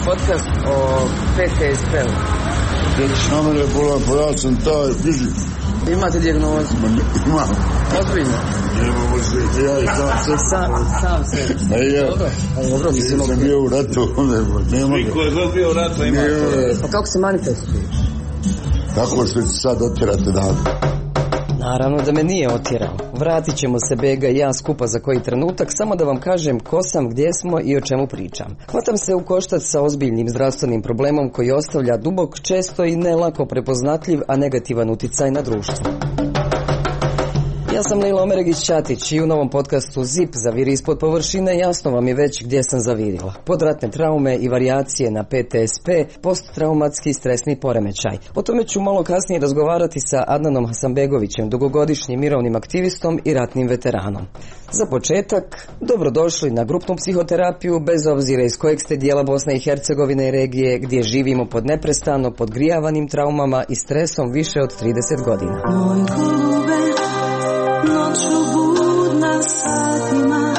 podcast o PTSP-u. Na mene je bolan, pa ja sam taj fizik. Imate dijagnozu? Imam. Ozbiljno? Nemamo se, ja i sam se. Dobro, mislim. Sam bio u ratu, nema. Niko je bio u ratu, ima to. Pa kako se manifestuje? Tako što će sad otjerati dan. Naravno da me nije otjerao. Vratit ćemo se Bega i ja skupa za koji trenutak, samo da vam kažem ko sam, gdje smo i o čemu pričam. Hvatam se u koštac sa ozbiljnim zdravstvenim problemom koji ostavlja dubok, često i ne lako prepoznatljiv, a negativan uticaj na društvo. Ja sam Lila Omeregić-Ćatić i u novom podcastu ZIP Zaviri ispod površine jasno vam je već gdje sam zavirila. Podratne traume i varijacije na PTSP, posttraumatski stresni poremećaj. O tome ću malo kasnije razgovarati sa Adnanom Hasanbegovićem, dugogodišnjim mirovnim aktivistom i ratnim veteranom. Za početak, dobrodošli na grupnu psihoterapiju, bez obzira iz kojeg ste dijela Bosne i Hercegovine i regije, gdje živimo pod neprestano podgrijavanim traumama i stresom više od 30 godina. Noću budna satima,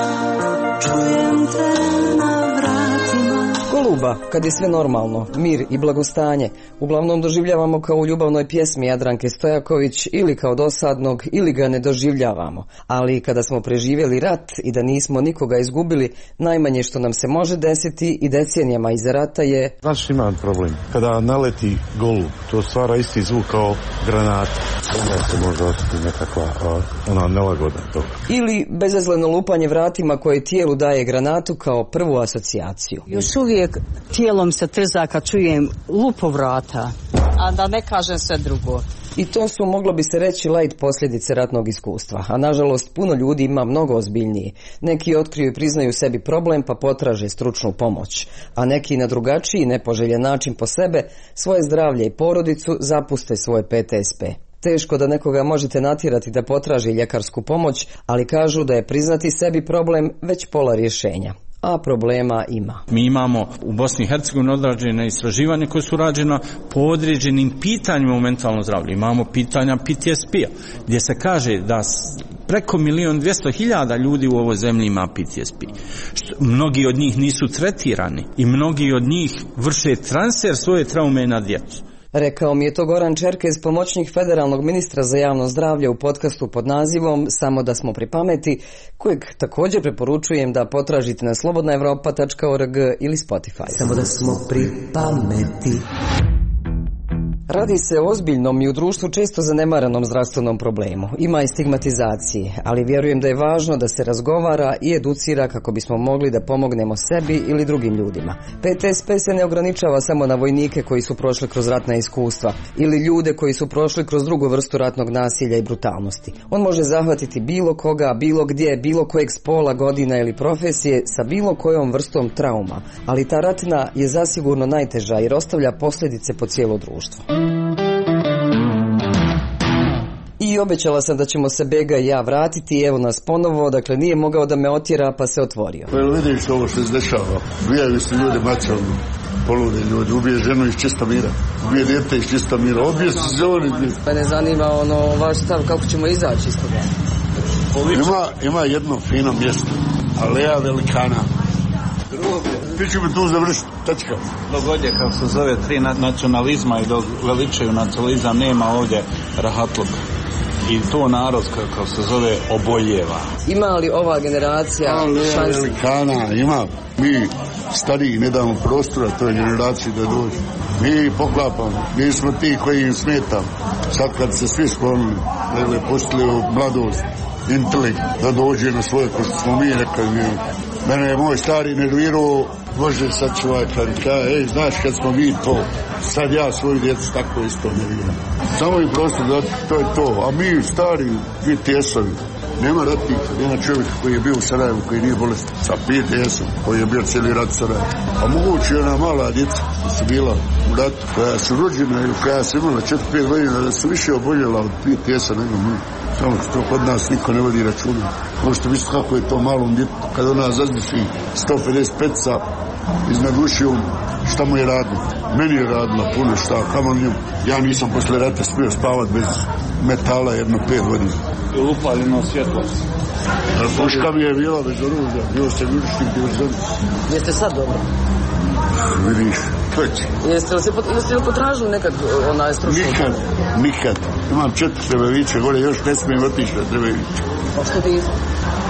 čujem te na vratima. Goluba, kad je sve normalno, mir i blagostanje, uglavnom doživljavamo kao u ljubavnoj pjesmi Jadranke Stojaković ili kao dosadnog ili ga ne doživljavamo. Ali kada smo preživjeli rat i da nismo nikoga izgubili, najmanje što nam se može desiti i decenijama iza rata je... Znaš, imam problem. Kada naleti golub, to stvara isti zvuk kao granata. Onda se može osjetiti nekakva nelagoda toga. Ili bezazleno lupanje vratima koje tijelu daje granatu kao prvu asocijaciju. Još uvijek tijelom se trza kad čujem lupo vrata, a da ne kažem sve drugo. I to su, moglo bi se reći, light posljedice ratnog iskustva, a nažalost puno ljudi ima mnogo ozbiljnije. Neki otkriju i priznaju sebi problem pa potraže stručnu pomoć, a neki na drugačiji, nepoželjen način po sebe, svoje zdravlje i porodicu zapuste svoje PTSP. Teško da nekoga možete natjerati da potraži ljekarsku pomoć, ali kažu da je priznati sebi problem već pola rješenja. A problema ima. Mi imamo u Bosni i Hercegovini odrađene istraživanje koje su rađena po određenim pitanjima u mentalnom zdravlju. Imamo pitanja PTSP-a, gdje se kaže da preko 1.200.000 ljudi u ovoj zemlji ima PTSP. Mnogi od njih nisu tretirani i mnogi od njih vrše transfer svoje traume na djecu. Rekao mi je to Goran Čerkez, pomoćnik federalnog ministra za javno zdravlje u podcastu pod nazivom Samo da smo pri pameti, kojeg također preporučujem da potražite na slobodnaevropa.org ili Spotify. Samo da smo pri pameti. Radi se o ozbiljnom i u društvu često zanemaranom zdravstvenom problemu. Ima i stigmatizacije, ali vjerujem da je važno da se razgovara i educira kako bismo mogli da pomognemo sebi ili drugim ljudima. PTSP se ne ograničava samo na vojnike koji su prošli kroz ratna iskustva ili ljude koji su prošli kroz drugu vrstu ratnog nasilja i brutalnosti. On može zahvatiti bilo koga, bilo gdje, bilo kojeg spola, godina ili profesije sa bilo kojom vrstom trauma, ali ta ratna je zasigurno najteža jer ostavlja posljedice po cijelo društvo. I obećala sam da ćemo se Bega i ja vratiti, evo nas ponovo, dakle nije mogao da me otjera pa se otvorio. Pa vidiš ovo što se dešava, ubijaju se ljudi mačalno, poludi ljudi, ubije ženu iz čista mira, ubije djete iz čista mira, ubije se zoni. Pa ne zanima vaš stav kako ćemo izaći iz toga. Ima jedno fino mjesto, Aleja Velikana. Ti ću mi tu završiti, tačka. Dogodje, kako se zove, 3 nacionalizma i dok veličaju nacionalizam, nema ovdje rahatluka. I to narod, kako se zove, oboljeva. Ima li ova generacija šansi? Velikana, ima. Mi stariji ne damo prostora toj generaciji da dođe. Mi poklapamo, mi smo ti koji im smetamo. Sad kad se svi sklonili, pustili u mladost, intelekt, da dođe na svoje, ko što smo mi rekli, mene je moj stari nervirao, može sad čuvaj, ej, znaš kad smo mi to, sad ja svoju djecu tako isto nerviram. Samo im prostor da to je to, a mi stari, PTS-ovi, nema ratnika, nema čovjeka koji je bio u Sarajevu, koji nije bolestan, sa PTS-om, koji je bio cijeli rat Sarajevu. A moguće ona mala djeca koja su bila u ratu, koja su rođena ili koja su imala 4-5 godina, da su više oboljela od PTS-a nego mi. Samo što kod nas niko ne vodi računa. Možete misliti kako je to malom djetu, kada ona zazdiši 155-ca iznad ušiju, šta mu je radilo? Meni je radila puno šta, kamo njom. Ja nisam posle rata smio spavat bez metala jedno 5 godina. I upaljeno svjetlo. Puška mi je bila bez oružja, bio sam jurišnik divizionac. Jeste sad dobro? više. Jeste li potražili nekad onaj stručni? Nikad. Imam 4 Trebevića, gore još ne smijem otići na Trebević. Pa što niste?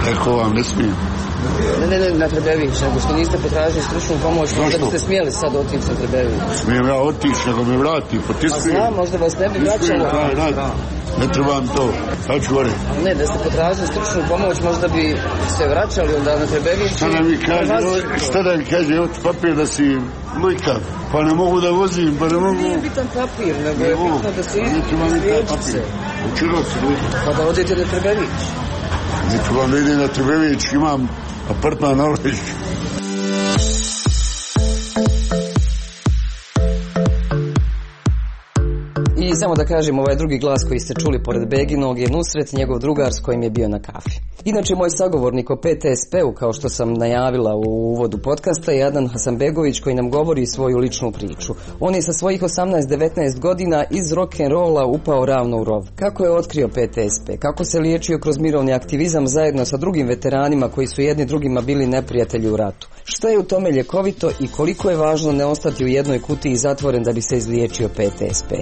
Rekao vam, ne smijem. Ne, na Trebević, nego što niste potražili stručnu pomoć, možda biste smijeli sad otići na Trebević. Smijem ja otići, nego me vrati, pa ti smijem. A znam, možda vas ne bi vraćalo. Ne trebam to, sad ću gore. Ne, da ste potražili stručnu pomoć, možda bi se vraćali onda na Trebević. Šta da mi kaže, evo ti papir da si lujka, pa ne mogu da vozim, pa ne mogu... Nije bitan papir, nego je bitno da se izliječi se. Učilo se lujka. Pa da odete na Trebević. Neću vam da idem na Trebević, imam apartman na Oležiću. I samo da kažem, ovaj drugi glas koji ste čuli pored Beginog je Nusret, njegov drugar s kojim je bio na kafi. Inače, moj sagovornik o PTSP-u, kao što sam najavila u uvodu podcasta, je Adnan Hasanbegović koji nam govori svoju ličnu priču. On je sa svojih 18-19 godina iz rock'n'rolla upao ravno u rov. Kako je otkrio PTSP? Kako se liječio kroz mirovni aktivizam zajedno sa drugim veteranima koji su jedni drugima bili neprijatelji u ratu? Šta je u tome ljekovito i koliko je važno ne ostati u jednoj kutiji zatvoren da bi se izliječio PTSP?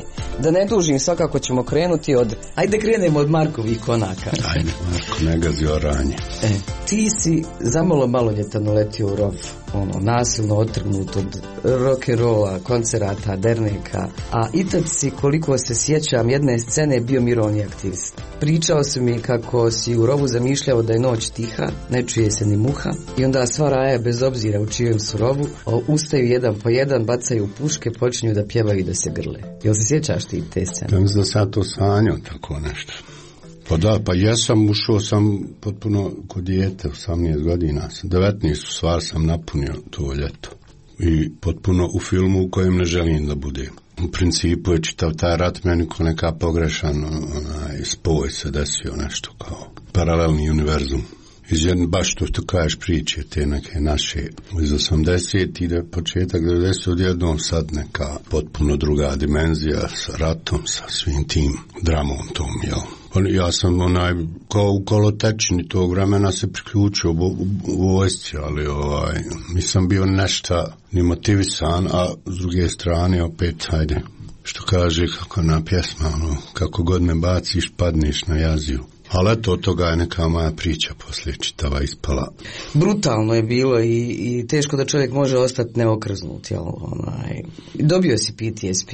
Da ne dužim, svakako ćemo krenuti od... Ajde krenemo od Markovih konaka. Ajde, Marko, ne gazi oranje. Ti si zamalo maloljetan uletio u rov, nasilno otrgnut od rock'n'rolla, koncerata, derneka, a i tad si, koliko se sjećam, jedne scene bio mirovni aktivist. Pričao si mi kako si u rovu zamišljao da je noć tiha, ne čuje se ni muha, i onda sva raja, bez obzira u čijem su rovu, ustaju jedan po jedan, bacaju puške, počinju da pjevaju i da se grle. Jel se sjećaš ti te scene? Ja mislim da sam to sanjao tako nešto. Pa da, pa jesam, ušao sam potpuno kod dijete, 18 godina, 19 stvar sam napunio to ljeto. I potpuno u filmu u kojem ne želim da budem. U principu je čitav taj rat meni ko neka pogrešan spoj se desio, nešto kao paralelni univerzum. Baš to kažeš priče, te neke naše iz 80 ide početak 90 odjednom, sad neka potpuno druga dimenzija sa ratom, sa svim tim dramom tom, jel? Ja sam kao u kolotečini tog vremena se priključio u vojsci, ali nisam bio nešto ni motivisan, a s druge strane opet, hajde, što kaže kako na pjesma, kako god me baciš, padneš na jaziju. Ali eto, od toga je neka moja priča poslije čitava ispala. Brutalno je bilo i teško da čovjek može ostati neokrznut, jel? Dobio si PTSP?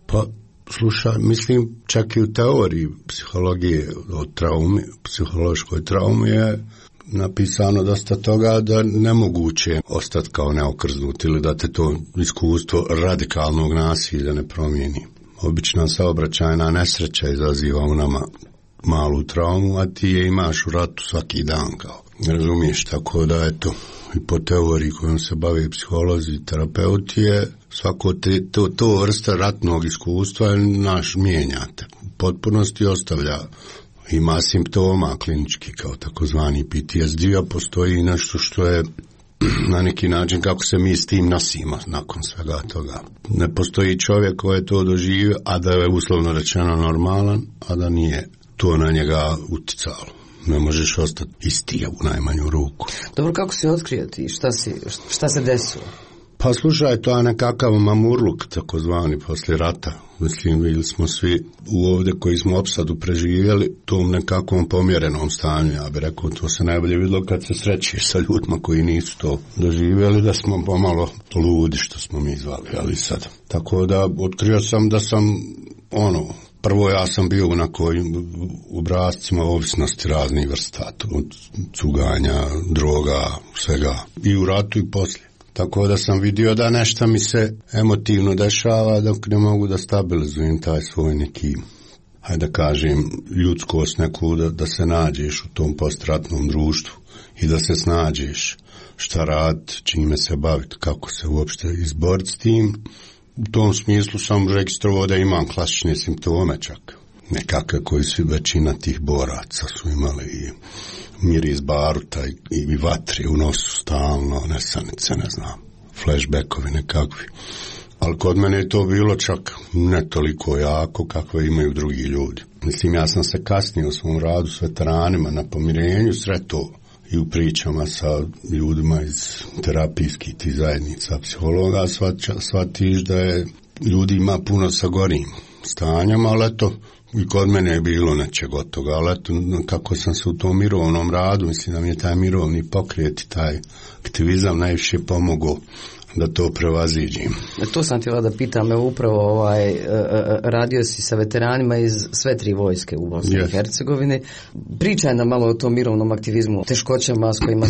Pa, slušaj, mislim, čak i u teoriji psihologije o traumi, psihološkoj traumi je napisano dosta toga da nemoguće ostati kao neokrznut ili da te to iskustvo radikalnog nasilja ne promijeni. Obična saobraćajna nesreća izaziva u nama malu traumu, a ti je imaš u ratu svaki dan, kao. Razumiješ, tako da eto, i po teoriji kojom se bave psiholozi i terapeuti je svako to vrsta ratnog iskustva naš mijenjate. U potpunosti ostavlja, ima simptoma klinički kao takozvani PTSD, a postoji nešto što je na neki način kako se mi s tim nosimo nakon svega toga. Ne postoji čovjek koji je to doživio, a da je uslovno rečeno normalan, a da nije to na njega uticalo. Ne možeš ostati isti u najmanju ruku. Dobro, kako si otkrio ti? Šta se desilo? Pa slušaj, to je nekakav mamurluk, takozvani, poslije rata. Mislim, bili smo svi ovdje koji smo opsadu preživjeli tom nekakvom pomjerenom stanju. Ja bih rekao, to se najbolje vidjelo kad se srećeš sa ljudima koji nisu to doživjeli, da smo pomalo ludi, što smo mi zvali, ali sad. Tako da, otkrio sam da sam, prvo ja sam bio na kojim obrascima ovisnosti raznih vrsta, od cuganja, droga, svega, i u ratu i poslije. Tako da sam vidio da nešto mi se emotivno dešava dok ne mogu da stabilizujem taj svoj neki, hajde da kažem, ljudskost neku, da se nađeš u tom postratnom društvu i da se snađeš šta rad, čime se baviti, kako se uopšte izboriti s tim. U tom smislu sam registrovao da imam klasične simptome čak. Nekakve koji su većina tih boraca su imali i miris baruta i vatri u nosu stalno, nesanice, ne znam, flashbackovi nekakvi. Ali kod mene je to bilo čak ne toliko jako kakve imaju drugi ljudi. Mislim, ja sam se kasnije u svom radu s veteranima na pomirenju sretao i u pričama sa ljudima iz terapijskih tih zajednica psihologa shvatiš da je ljudi ima puno sa gorim stanjem, ali eto, i kod mene je bilo nečeg od toga, ali eto, kako sam se u tom mirovnom radu, mislim da mi je taj mirovni pokret i taj aktivizam najviše pomogao da to prevaziđim. To sam htjela da pitam, upravo radio si sa veteranima iz sve 3 vojske u Bosni i Hercegovini. Pričaj nam malo o tom mirovnom aktivizmu, teškoćama s kojima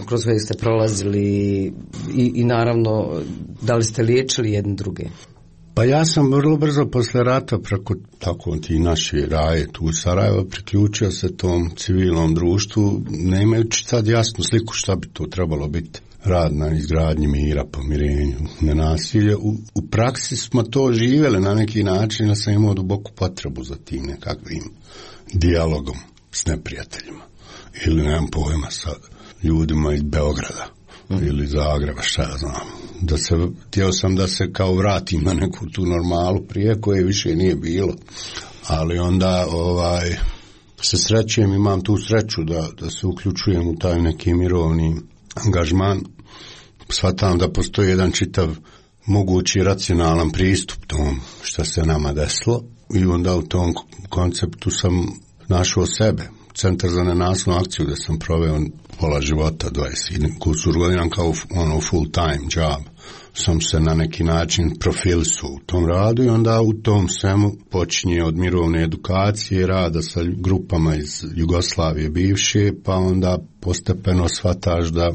kroz koje ste prolazili i naravno da li ste liječili jedni druge? Pa ja sam vrlo brzo posle rata preko tako ti naši raje tu u Sarajevo priključio se tom civilnom društvu, ne imajući sad jasnu sliku šta bi to trebalo biti. Rad na izgradnji mira, pomirenju, nenasilje. U praksi smo to živjeli na neki način, da sam imao duboku potrebu za tim nekakvim dijalogom s neprijateljima. Ili nemam pojma sa ljudima iz Beograda ili Zagreba, šta ja znam. Htio sam da se kao vratim na neku tu normalu prije koje više nije bilo. Ali onda se srećem, imam tu sreću da se uključujem u taj neki mirovni angažman. Shvatam da postoji jedan čitav mogući racionalan pristup tom što se nama desilo i onda u tom konceptu sam našao sebe. Centar za nenasilnu akciju gdje sam proveo pola života, 20 kusur godina kao full time job. Sam se na neki način profilisao u tom radu i onda u tom svemu počinje od mirovne edukacije, rada sa grupama iz Jugoslavije bivše, pa onda postepeno shvataš da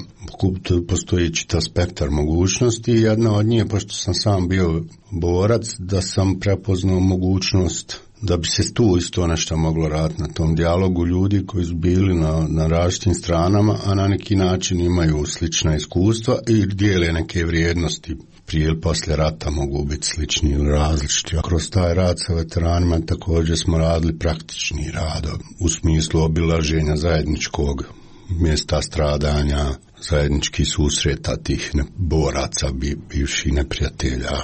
postoji čitav spektar mogućnosti i jedna od njih, pošto sam sam bio borac, da sam prepoznao mogućnost da bi se tu isto nešto moglo raditi na tom dijalogu ljudi koji su bili na različitim stranama, a na neki način imaju slična iskustva i dijele neke vrijednosti. Prije ili poslije rata mogu biti slični ili različiti. A kroz taj rad sa veteranima također smo radili praktični rad u smislu obilaženja zajedničkog mjesta stradanja, zajedničkih susreta tih boraca, bivših neprijatelja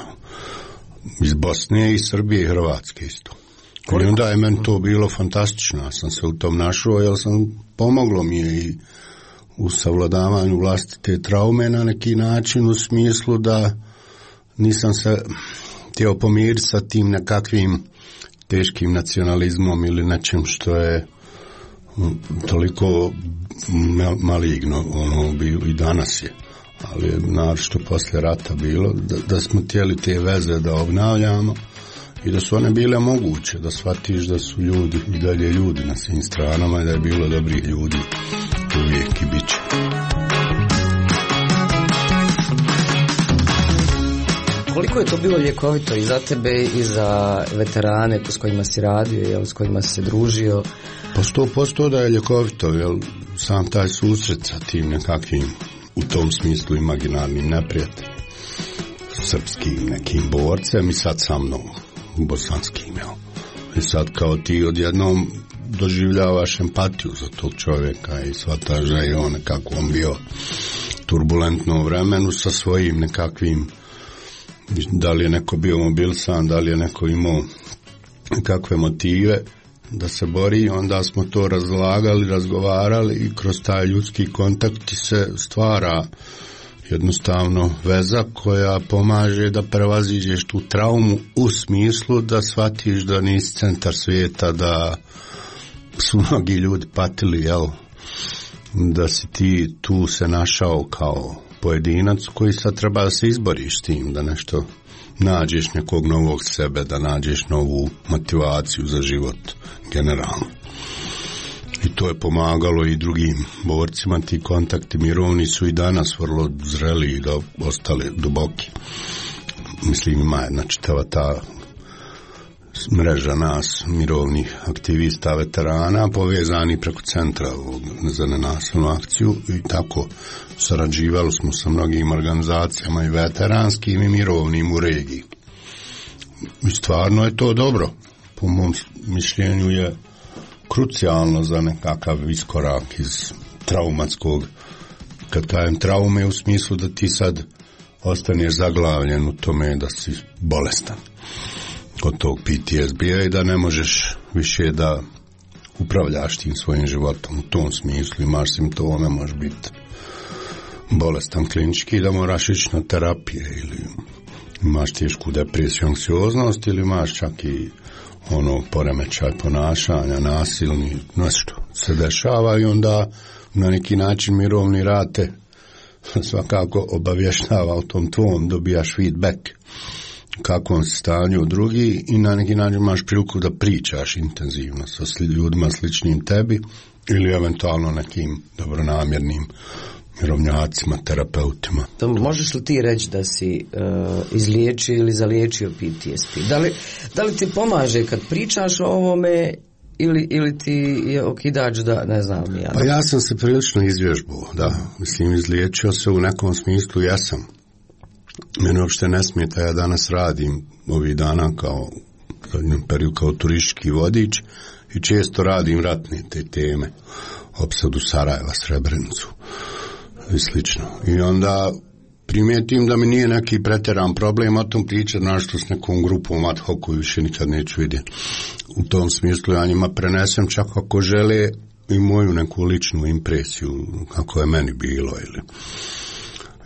iz Bosne i Srbije i Hrvatske isto. I onda je meni to bilo fantastično, ja sam se u tom našao, jer pomoglo mi je i u savladavanju vlastite traume na neki način, u smislu da nisam se htio pomiriti sa tim nekakvim teškim nacionalizmom ili nečim što je toliko maligno, i danas je, ali naročito poslije rata bilo, da smo htjeli te veze da obnavljamo i da su one bile moguće, da shvatiš da su ljudi i dalje ljudi na svim stranama i da je bilo dobrih ljudi uvijek i bit će. Koliko je to bilo ljekovito i za tebe i za veterane s kojima si radio, s kojima si se družio? Pa 100% da je ljekovito, jer sam taj susret sa tim nekakvim, u tom smislu imaginarnim neprijateljem, srpskim nekim borcem i sad sa mnom, bosanskim, I sad kao ti odjednom doživljavaš empatiju za tog čovjeka i shvataš da je on nekako on bio turbulentno vremenu sa svojim nekakvim, da li je neko bio mobilisan, da li je neko imao kakve motive da se bori, onda smo to razlagali, razgovarali i kroz taj ljudski kontakt se stvara jednostavno veza koja pomaže da prevaziđeš tu traumu u smislu da shvatiš da nisi centar svijeta, da su mnogi ljudi patili, da si ti tu se našao kao pojedinac koji sad treba da se izboriš s tim, da nešto nađeš nekog novog sebe, da nađeš novu motivaciju za život generalno. I to je pomagalo i drugim borcima, ti kontakti mirovni su i danas vrlo zreli i ostali duboki. Mislim, ima jedna čitava ta mreža nas, mirovnih aktivista, veterana, povezani preko centra za nenasilnu akciju i tako sarađivali smo sa mnogim organizacijama i veteranskim i mirovnim u regiji. I stvarno je to dobro. Po mom mišljenju je krucijalno za nekakav iskorak iz traumatskog, kad kažem traume u smislu da ti sad ostaneš zaglavljen u tome da si bolestan od tog PTSD-a i da ne možeš više da upravljaš tim svojim životom u tom smislu, imaš simptome, možeš biti bolestan klinički da moraš ići na terapije ili imaš tešku depresiju, anksioznost ili imaš čak i poremećaj ponašanja, nasilni, nešto se dešava i onda na neki način mirovni rad te svakako obavještava o tom tvom, dobijaš feedback kakvom se stanju drugi i na neki način imaš priliku da pričaš intenzivno sa ljudima sličnim tebi ili eventualno nekim dobronamjernim mirovnjacima, terapeutima. To možeš li ti reći da si izliječio ili zaliječio PTSD? Da li ti pomaže kad pričaš o ovome ili ti je okidač da ne znam ja? Pa ja sam se prilično izvježbao, da. Mislim, izliječio se u nekom smislu, jesam. Mene uopšte ne smeta, ja danas radim ovih dana kao periodu kao turistički vodič i često radim ratne te teme, opsadu Sarajeva, Srebrenicu i slično. I onda primijetim da mi nije neki pretjeran problem o tom pričati, našto s nekom grupom ad hoc koju više nikad neću vidjeti. U tom smislu ja njima prenesem čak ako žele i moju neku ličnu impresiju kako je meni bilo ili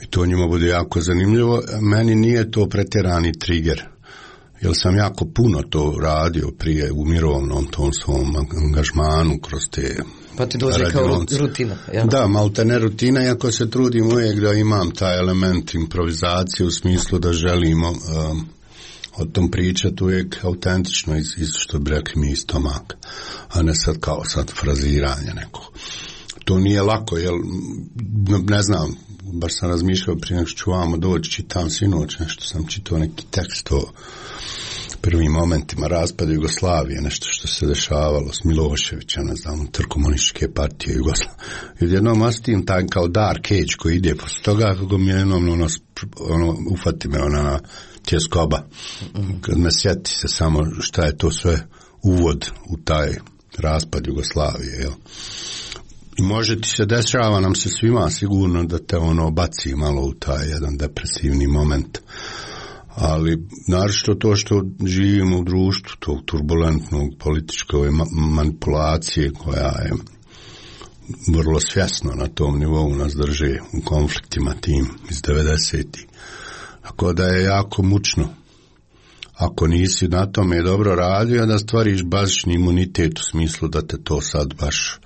i to njima bude jako zanimljivo. Meni nije to pretjerani trigger, jer sam jako puno to radio prije u mirovnom tom svom angažmanu kroz te pa ti dođe kao rutina. Ja? Da, malte ne rutina, iako se trudim uvijek da imam taj element improvizacije u smislu da želimo o tom pričati uvijek autentično iz što bi rekli mi iz stomaka, a ne sad kao sad fraziranje nekog. To nije lako, jer ne znam, baš sam razmišljao prije nego što ću vamo doći, čitam sinoć, nešto sam čitao neki tekst o prvim momentima raspada Jugoslavije, nešto što se dešavalo s Miloševića, ne znam, komunističke partije Jugoslavije. I jednom ostim taj kao dark age koji ide posle toga, kako mi jednom ufati me ona tjeskoba. Kad me sjeti se samo šta je to sve uvod u taj raspad Jugoslavije, jel? I može ti se dešava nam se svima sigurno da te baci malo u taj jedan depresivni moment. Ali naročito to što živimo u društvu tog turbulentnog političke manipulacije koja je vrlo svjesno na tom nivou nas drže u konfliktima tim iz 90-ih. Tako da je jako mučno. Ako nisi na tome dobro radio, da stvariš bazični imunitet u smislu da te to sad baš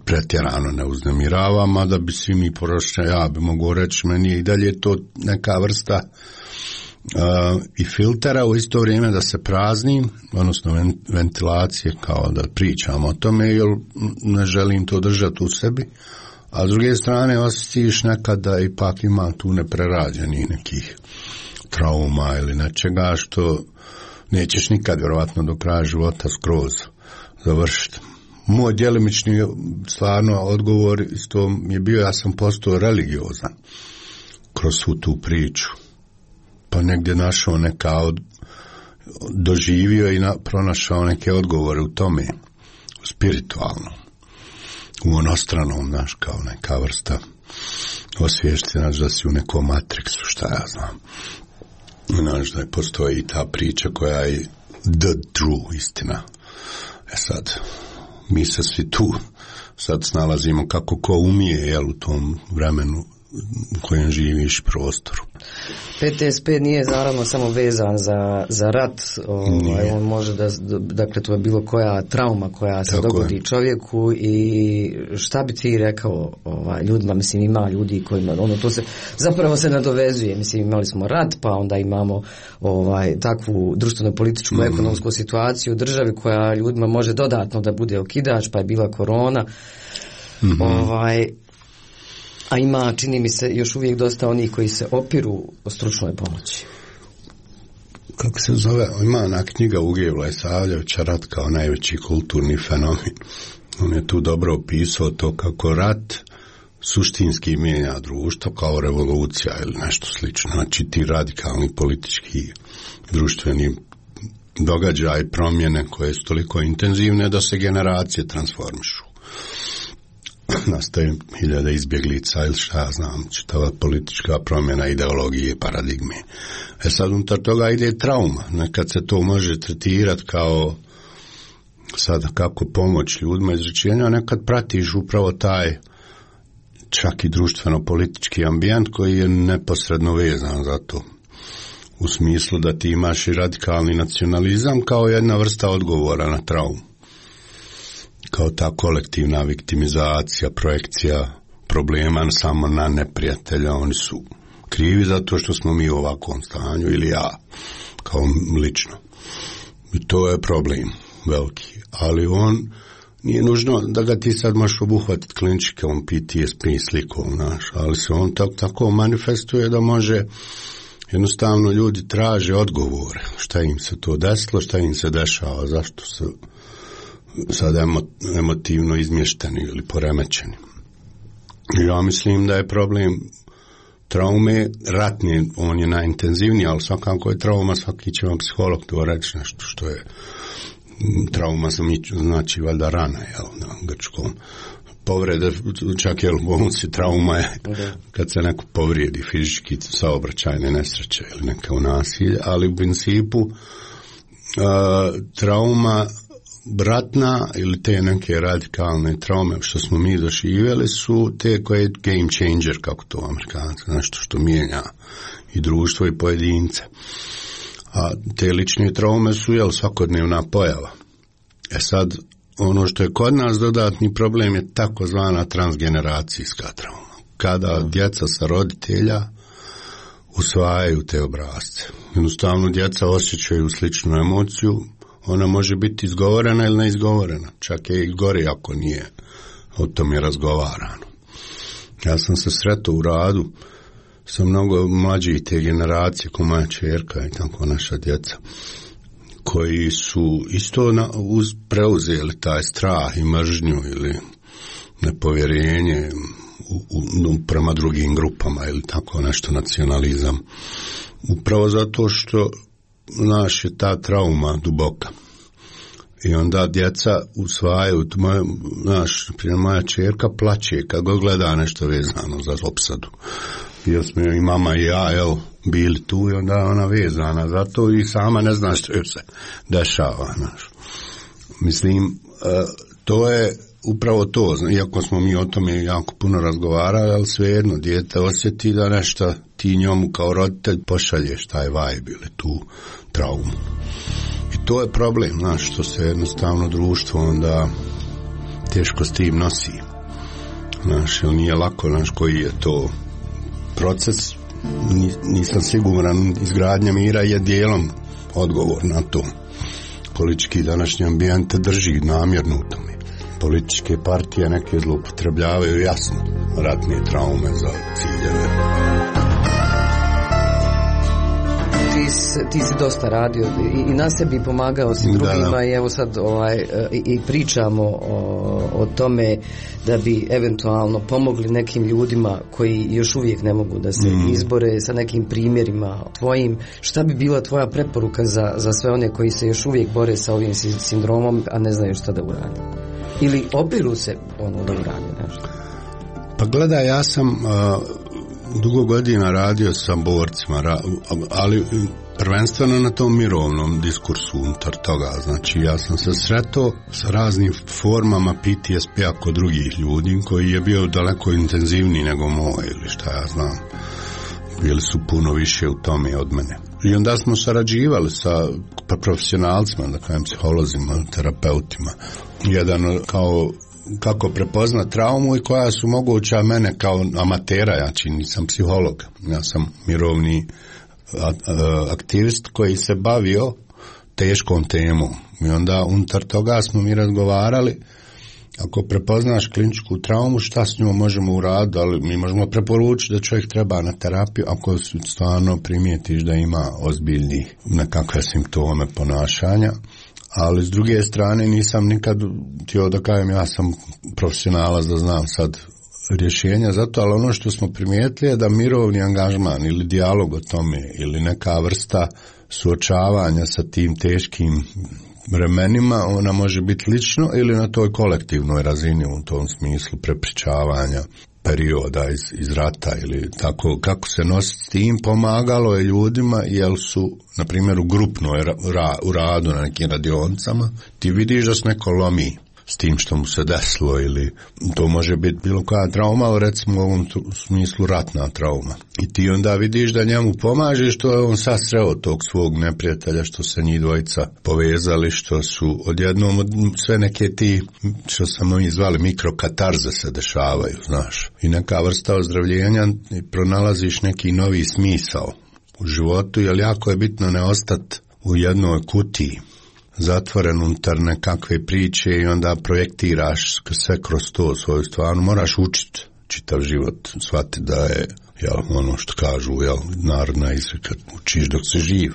pretjerano ne uznemirava, mada bi svi mi poročne, ja bi mogu reći, meni i dalje to neka vrsta i filtera u isto vrijeme da se prazni, odnosno ventilacije, kao da pričam o tome, jer ne želim to držati u sebi, a s druge strane osjetiš nekada ipak ima tu neprerađenih nekih trauma ili nečega što nećeš nikad vjerovatno do kraja života skroz završiti. Moj djelimični stvarno odgovor isto je bio, ja sam postao religiozan kroz svu tu priču. Pa negdje našao doživio i pronašao neke odgovore u tome, spiritualno, u onostranom, znaš, kao neka vrsta osviješćena da si u nekom matriksu, šta ja znam. Znaš da postoji i ta priča koja je the true istina. Sad, mi se svi tu sad snalazimo kako ko umije, jel, u tom vremenu u kojem živiš prostoru. PTSP nije naravno samo vezan za rat, on može dakle to je bilo koja trauma koja se dogodi čovjeku. I šta bi ti rekao ljudima, mislim ima ljudi kojima to se zapravo se nadovezuje, mislim imali smo rat, pa onda imamo takvu društveno-političku ekonomsku situaciju u državi koja ljudima može dodatno da bude okidač, pa je bila korona. A ima, čini mi se, još uvijek dosta onih koji se opiru o stručnoj pomoći. Kako se zove? Ima ona knjiga Uge Vlajsavljevića, Rat kao najveći kulturni fenomen. On je tu dobro opisao to kako rat suštinski mijenja društvo kao revolucija ili nešto slično. Znači ti radikalni politički društveni događaj, promjene koje su toliko intenzivne da se generacije transformišu. Nastaje hiljada izbjeglica ili šta ja znam, čitava politička promjena ideologije, paradigme. Sad unutar toga ide trauma. Nekad se to može tretirati kao Sada kako pomoć ljudima izrečenja, nekad pratiš upravo taj čak i društveno-politički ambijent koji je neposredno vezan za to. U smislu da ti imaš i radikalni nacionalizam kao jedna vrsta odgovora na traumu. Kao ta kolektivna viktimizacija, projekcija problema samo na neprijatelja, oni su krivi zato što smo mi u ovakvom stanju ili ja, kao lično. I to je problem veliki, ali on nije nužno da ga ti sad možeš obuhvatiti kliničkom PTSP slikom, ali se on tako manifestuje da može, jednostavno ljudi traže odgovore, šta im se to desilo, šta im se dešava, zašto su sad emotivno izmješteni ili poremećeni. Ja mislim da je problem traume ratne, on je najintenzivniji, ali svakako je trauma, svaki će vam psiholog to reći nešto što je trauma, znači valjda rana, na grčkom. Povrede, čak je u bolnici trauma je kad se neko povrijedi fizički, saobraćajne nesreće ili neka nasilje, ali u principu trauma ratna ili te neke radikalne traume što smo mi doživjeli su te koje je game changer, kako to Amerikanci, nešto što mijenja i društvo i pojedince. A te lične traume su svakodnevna pojava. Sad, ono što je kod nas dodatni problem je takozvana transgeneracijska trauma. Kada djeca sa roditelja usvajaju te obrasce. Jednostavno djeca osjećaju sličnu emociju, ona može biti izgovorena ili neizgovorena, čak je i gori ako nije o tome razgovarano. Ja sam se sretao u radu sa mnogo mlađih te generacije, ko moja čerka i tako naša djeca, koji su isto preuzeli taj strah i mržnju ili nepovjerenje prema drugim grupama ili tako nešto, nacionalizam. Upravo zato što naš je ta trauma duboka. I onda djeca usvajaju, moja čerka plaće kad god gleda nešto vezano za opsadu. Jer smo i mama i ja bili tu i onda ona vezana za to i sama ne zna što joj se dešava. Mislim, to je upravo to, iako smo mi o tome jako puno razgovarali, ali svejedno dijete osjeti da nešto ti njemu kao roditelj pošalješ taj vibe ili tu traumu. I to je problem, što se jednostavno društvo onda teško s tim nosi. Jer nije lako, koji je to proces, nisam siguran, izgradnja mira je dijelom odgovor na to. Politički današnji ambijent drži namjerno u tome. Političke partije neke zloupotrebljavaju jasno ratne traume za ciljeve. Ti si dosta radio i na sebi pomagao si drugima i evo sad i pričamo o tome da bi eventualno pomogli nekim ljudima koji još uvijek ne mogu da se izbore sa nekim primjerima tvojim. Šta bi bila tvoja preporuka za sve one koji se još uvijek bore sa ovim sindromom, a ne znaju šta da urade? Ili opiru se da urade nešto? Pa gledaj, ja sam dugo godina radio sa borcima, ali prvenstveno na tom mirovnom diskursu unutar toga. Znači, ja sam se sretao sa raznim formama PTSP-a kod drugih ljudi, koji je bio daleko intenzivniji nego moj, ili šta ja znam. Bili su puno više u tome od mene. I onda smo sarađivali sa profesionalcima, da kažem, psiholozima, terapeutima. Jedan kao kako prepoznat traumu i koja su moguća mene kao amatera, ja nisam psiholog, ja sam mirovni aktivist koji se bavio teškom temom. I onda unutar toga smo mi razgovarali, ako prepoznaš kliničku traumu, šta s njom možemo uraditi, ali mi možemo preporučiti da čovjek treba na terapiju ako stvarno primijetiš da ima ozbiljnih nekakve simptome ponašanja. Ali s druge strane nisam nikad htio da kažem ja sam profesionalac da znam sad rješenja za to, ali ono što smo primijetili je da mirovni angažman ili dijalog o tome ili neka vrsta suočavanja sa tim teškim vremenima, ona može biti lično ili na toj kolektivnoj razini u tom smislu prepričavanja perioda iz rata ili tako, kako se nositi s tim, pomagalo je ljudima jer su, na primjer, u grupnoj u radu na nekim radionicama, ti vidiš da se neko lomi s tim što mu se desilo, ili to može biti bilo koja trauma, ali recimo u ovom smislu ratna trauma. I ti onda vidiš da njemu pomaže što je on sad sreo tog svog neprijatelja, što se njih dvojica povezali, što su odjednom sve neke ti, što sam oni zvali mikrokatarze se dešavaju, znaš. I neka vrsta ozdravljenja, pronalaziš neki novi smisao u životu, jer jako je bitno ne ostati u jednoj kutiji, zatvoren unutar nekakve priče i onda projektiraš sve kroz to svoju stvarno. Moraš učiti čitav život, shvati da je ono što kažu, narodna izreka, učiš dok si živ.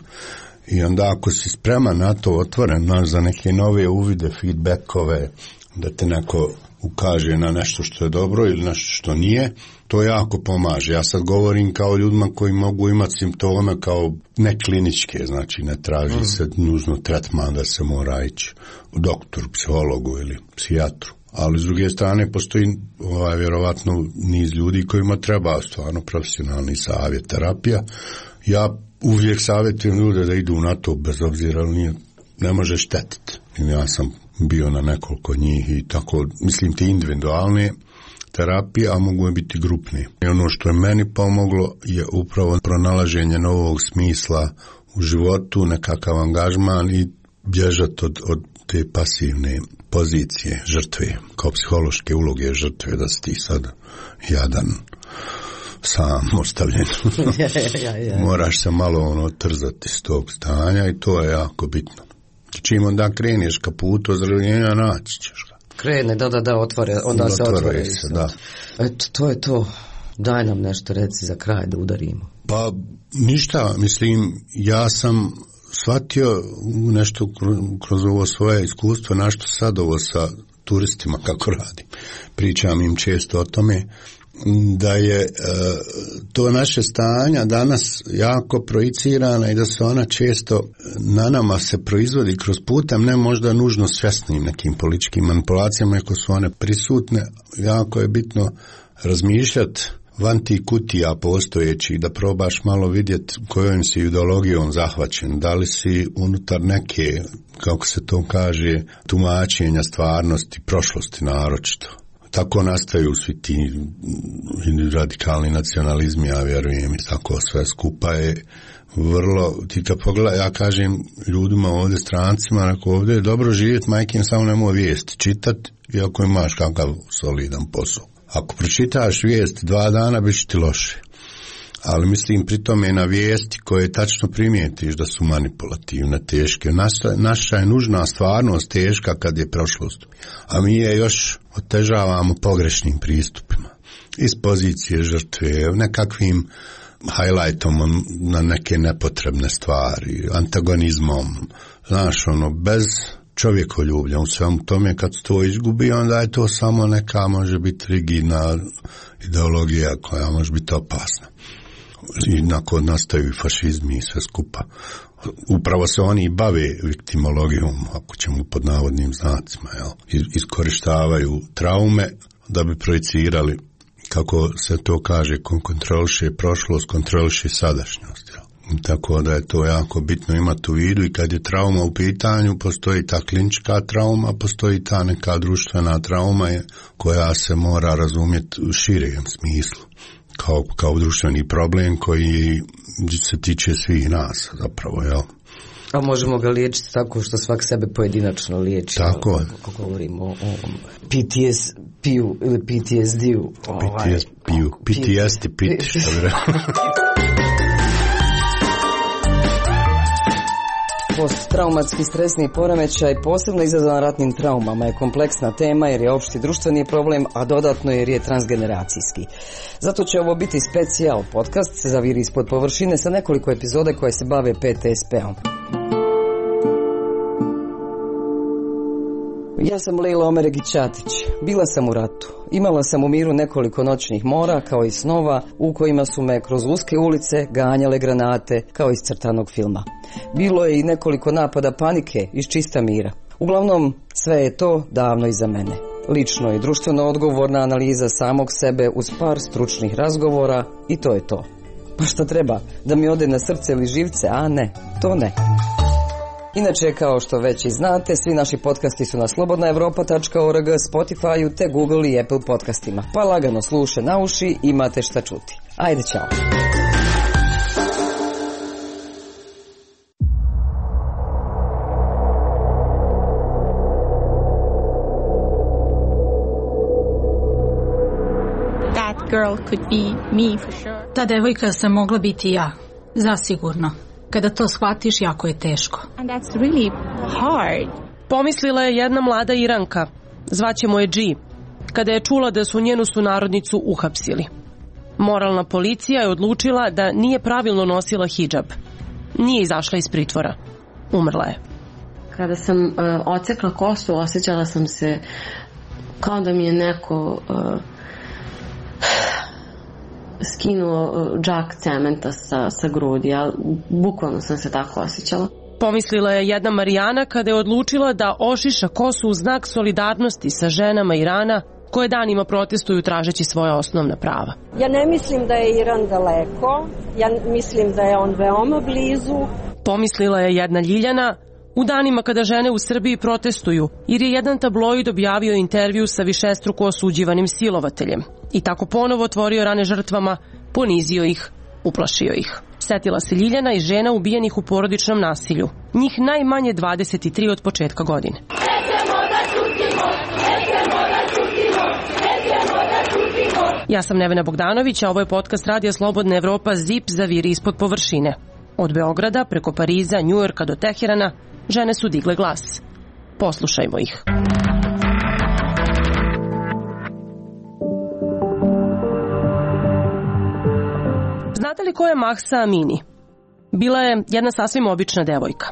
I onda ako si spreman na to, otvoren za neke nove uvide, feedbackove, da te neko ukaže na nešto što je dobro ili nešto što nije, to jako pomaže. Ja sad govorim kao ljudima koji mogu imati simptome kao nekliničke, znači ne traži se nužno tretman da se mora ići u doktoru, psihologu ili psijatru. Ali s druge strane postoji vjerovatno niz ljudi kojima treba stvarno profesionalni savjet, terapija. Ja uvijek savjetujem ljude da idu na to bez obzira, ne može štetiti. Ja sam bio na nekoliko njih i tako, mislim ti individualne terapije, a mogu biti grupne. I ono što je meni pomoglo je upravo pronalaženje novog smisla u životu, nekakav angažman i bježati od te pasivne pozicije žrtve, kao psihološke uloge žrtve, da si ti sad jadan, sam ostavljen. Moraš se malo trzati s tog stanja i to je jako bitno. Čim onda kreneš ka putu ozdravljenja, naći ćeš ga. Krene, da, onda se otvore. Da. Eto, to je to. Daj nam nešto, reci za kraj da udarimo. Pa ništa, mislim, ja sam shvatio nešto kroz ovo svoje iskustvo, našto sad ovo sa turistima kako radim. Pričam im često o tome da je to naše stanja danas jako projicirana i da se ona često na nama se proizvodi kroz putem, ne možda nužno svjesnim nekim političkim manipulacijama, ako su one prisutne. Jako je bitno razmišljati van tih kutija postojećih, da probaš malo vidjeti kojom si ideologijom zahvaćen, da li si unutar neke, kako se to kaže, tumačenja stvarnosti, prošlosti naročito. Tako nastaju svi ti radikalni nacionalizmi, ja vjerujem, i tako sve skupa je vrlo, ti kad pogledaj, ja kažem ljudima ovdje, strancima, ako ovdje je dobro živjeti, majkin, samo nemoj vijesti čitati, iako imaš kakav solidan posao. Ako pročitaš vijesti 2 dana, bit će ti loše. Ali mislim pri tome na vijesti koje tačno primijetiš da su manipulativne, teške. Naša je nužna stvarnost teška kad je prošlost. A mi je još otežavamo pogrešnim pristupima. Iz pozicije žrtve, nekakvim highlightom na neke nepotrebne stvari, antagonizmom. Znaš, bez čovjekoljublja u svemu tome, kad se to izgubi, onda je to samo neka, može biti rigidna ideologija koja može biti opasna. I nakon nastaju fašizmi i sve skupa. Upravo se oni bave viktimologijom, ako ćemo pod navodnim znacima, iskorištavaju traume da bi projicirali, kako se to kaže, kontroliše prošlost, kontroliše sadašnjost. Tako da je to jako bitno imati u vidu, i kad je trauma u pitanju, postoji ta klinička trauma, postoji ta neka društvena trauma koja se mora razumjeti u širem smislu. Kao društveni problem koji se tiče svih nas zapravo, jel? A možemo ga liječiti tako što svak sebe pojedinačno liječi. Tako. Ako govorimo o PTSP-u ili PTSD-u. PTSD, što bi rekao. Posttraumatski stresni poremećaj, posebno izazvan ratnim traumama, je kompleksna tema jer je opšti društveni problem, a dodatno jer je transgeneracijski. Zato će ovo biti specijal podcast se zaviri ispod površine sa nekoliko epizode koje se bave PTSP-om. Ja sam Lejla Omeregić-Ćatić. Bila sam u ratu. Imala sam u miru nekoliko noćnih mora, kao i snova, u kojima su me kroz uske ulice ganjale granate, kao iz crtanog filma. Bilo je i nekoliko napada panike iz čista mira. Uglavnom, sve je to davno iza mene. lično i društveno odgovorna analiza samog sebe uz par stručnih razgovora i to je to. Pa šta treba? Da mi ode na srce ili živce? A ne, to ne. Inače, kao što već i znate, svi naši podcasti su na slobodnaevropa.org, Spotify-u te Google i Apple podcastima. Pa lagano sluše na uši, imate šta čuti. Ajde, čao! Ta devojka sam mogla biti ja, zasigurno. Kada to shvatiš, jako je teško. Pomislila je jedna mlada Iranka, zvaćemo je G, kada je čula da su njenu sunarodnicu uhapsili. Moralna policija je odlučila da nije pravilno nosila hidžab. Nije izašla iz pritvora. Umrla je. Kada sam odsekla kosu, osjećala sam se kao da mi je neko skinuo džak cementa sa grudi, ali bukvalno sam se tako osjećala. Pomislila je jedna Marijana kada je odlučila da ošiša kosu u znak solidarnosti sa ženama Irana koje danima protestuju tražeći svoja osnovna prava. Ja ne mislim da je Iran daleko, ja mislim da je on veoma blizu. Pomislila je jedna Ljiljana u danima kada žene u Srbiji protestuju, jer je jedan tabloid objavio intervju sa višestruko osuđivanim silovateljem i tako ponovo otvorio rane žrtvama, ponizio ih, uplašio ih. Setila se Ljiljana i žena ubijenih u porodičnom nasilju. Njih najmanje 23 od početka godine. Ja sam Nevena Bogdanović, a ovo je podcast Radija Slobodna Evropa Zip zaviri ispod površine. Od Beograda, preko Pariza, Njujorka do Teherana, žene su digle glas. Poslušajmo ih. Znate li ko je Mahsa Amini? Bila je jedna sasvim obična devojka.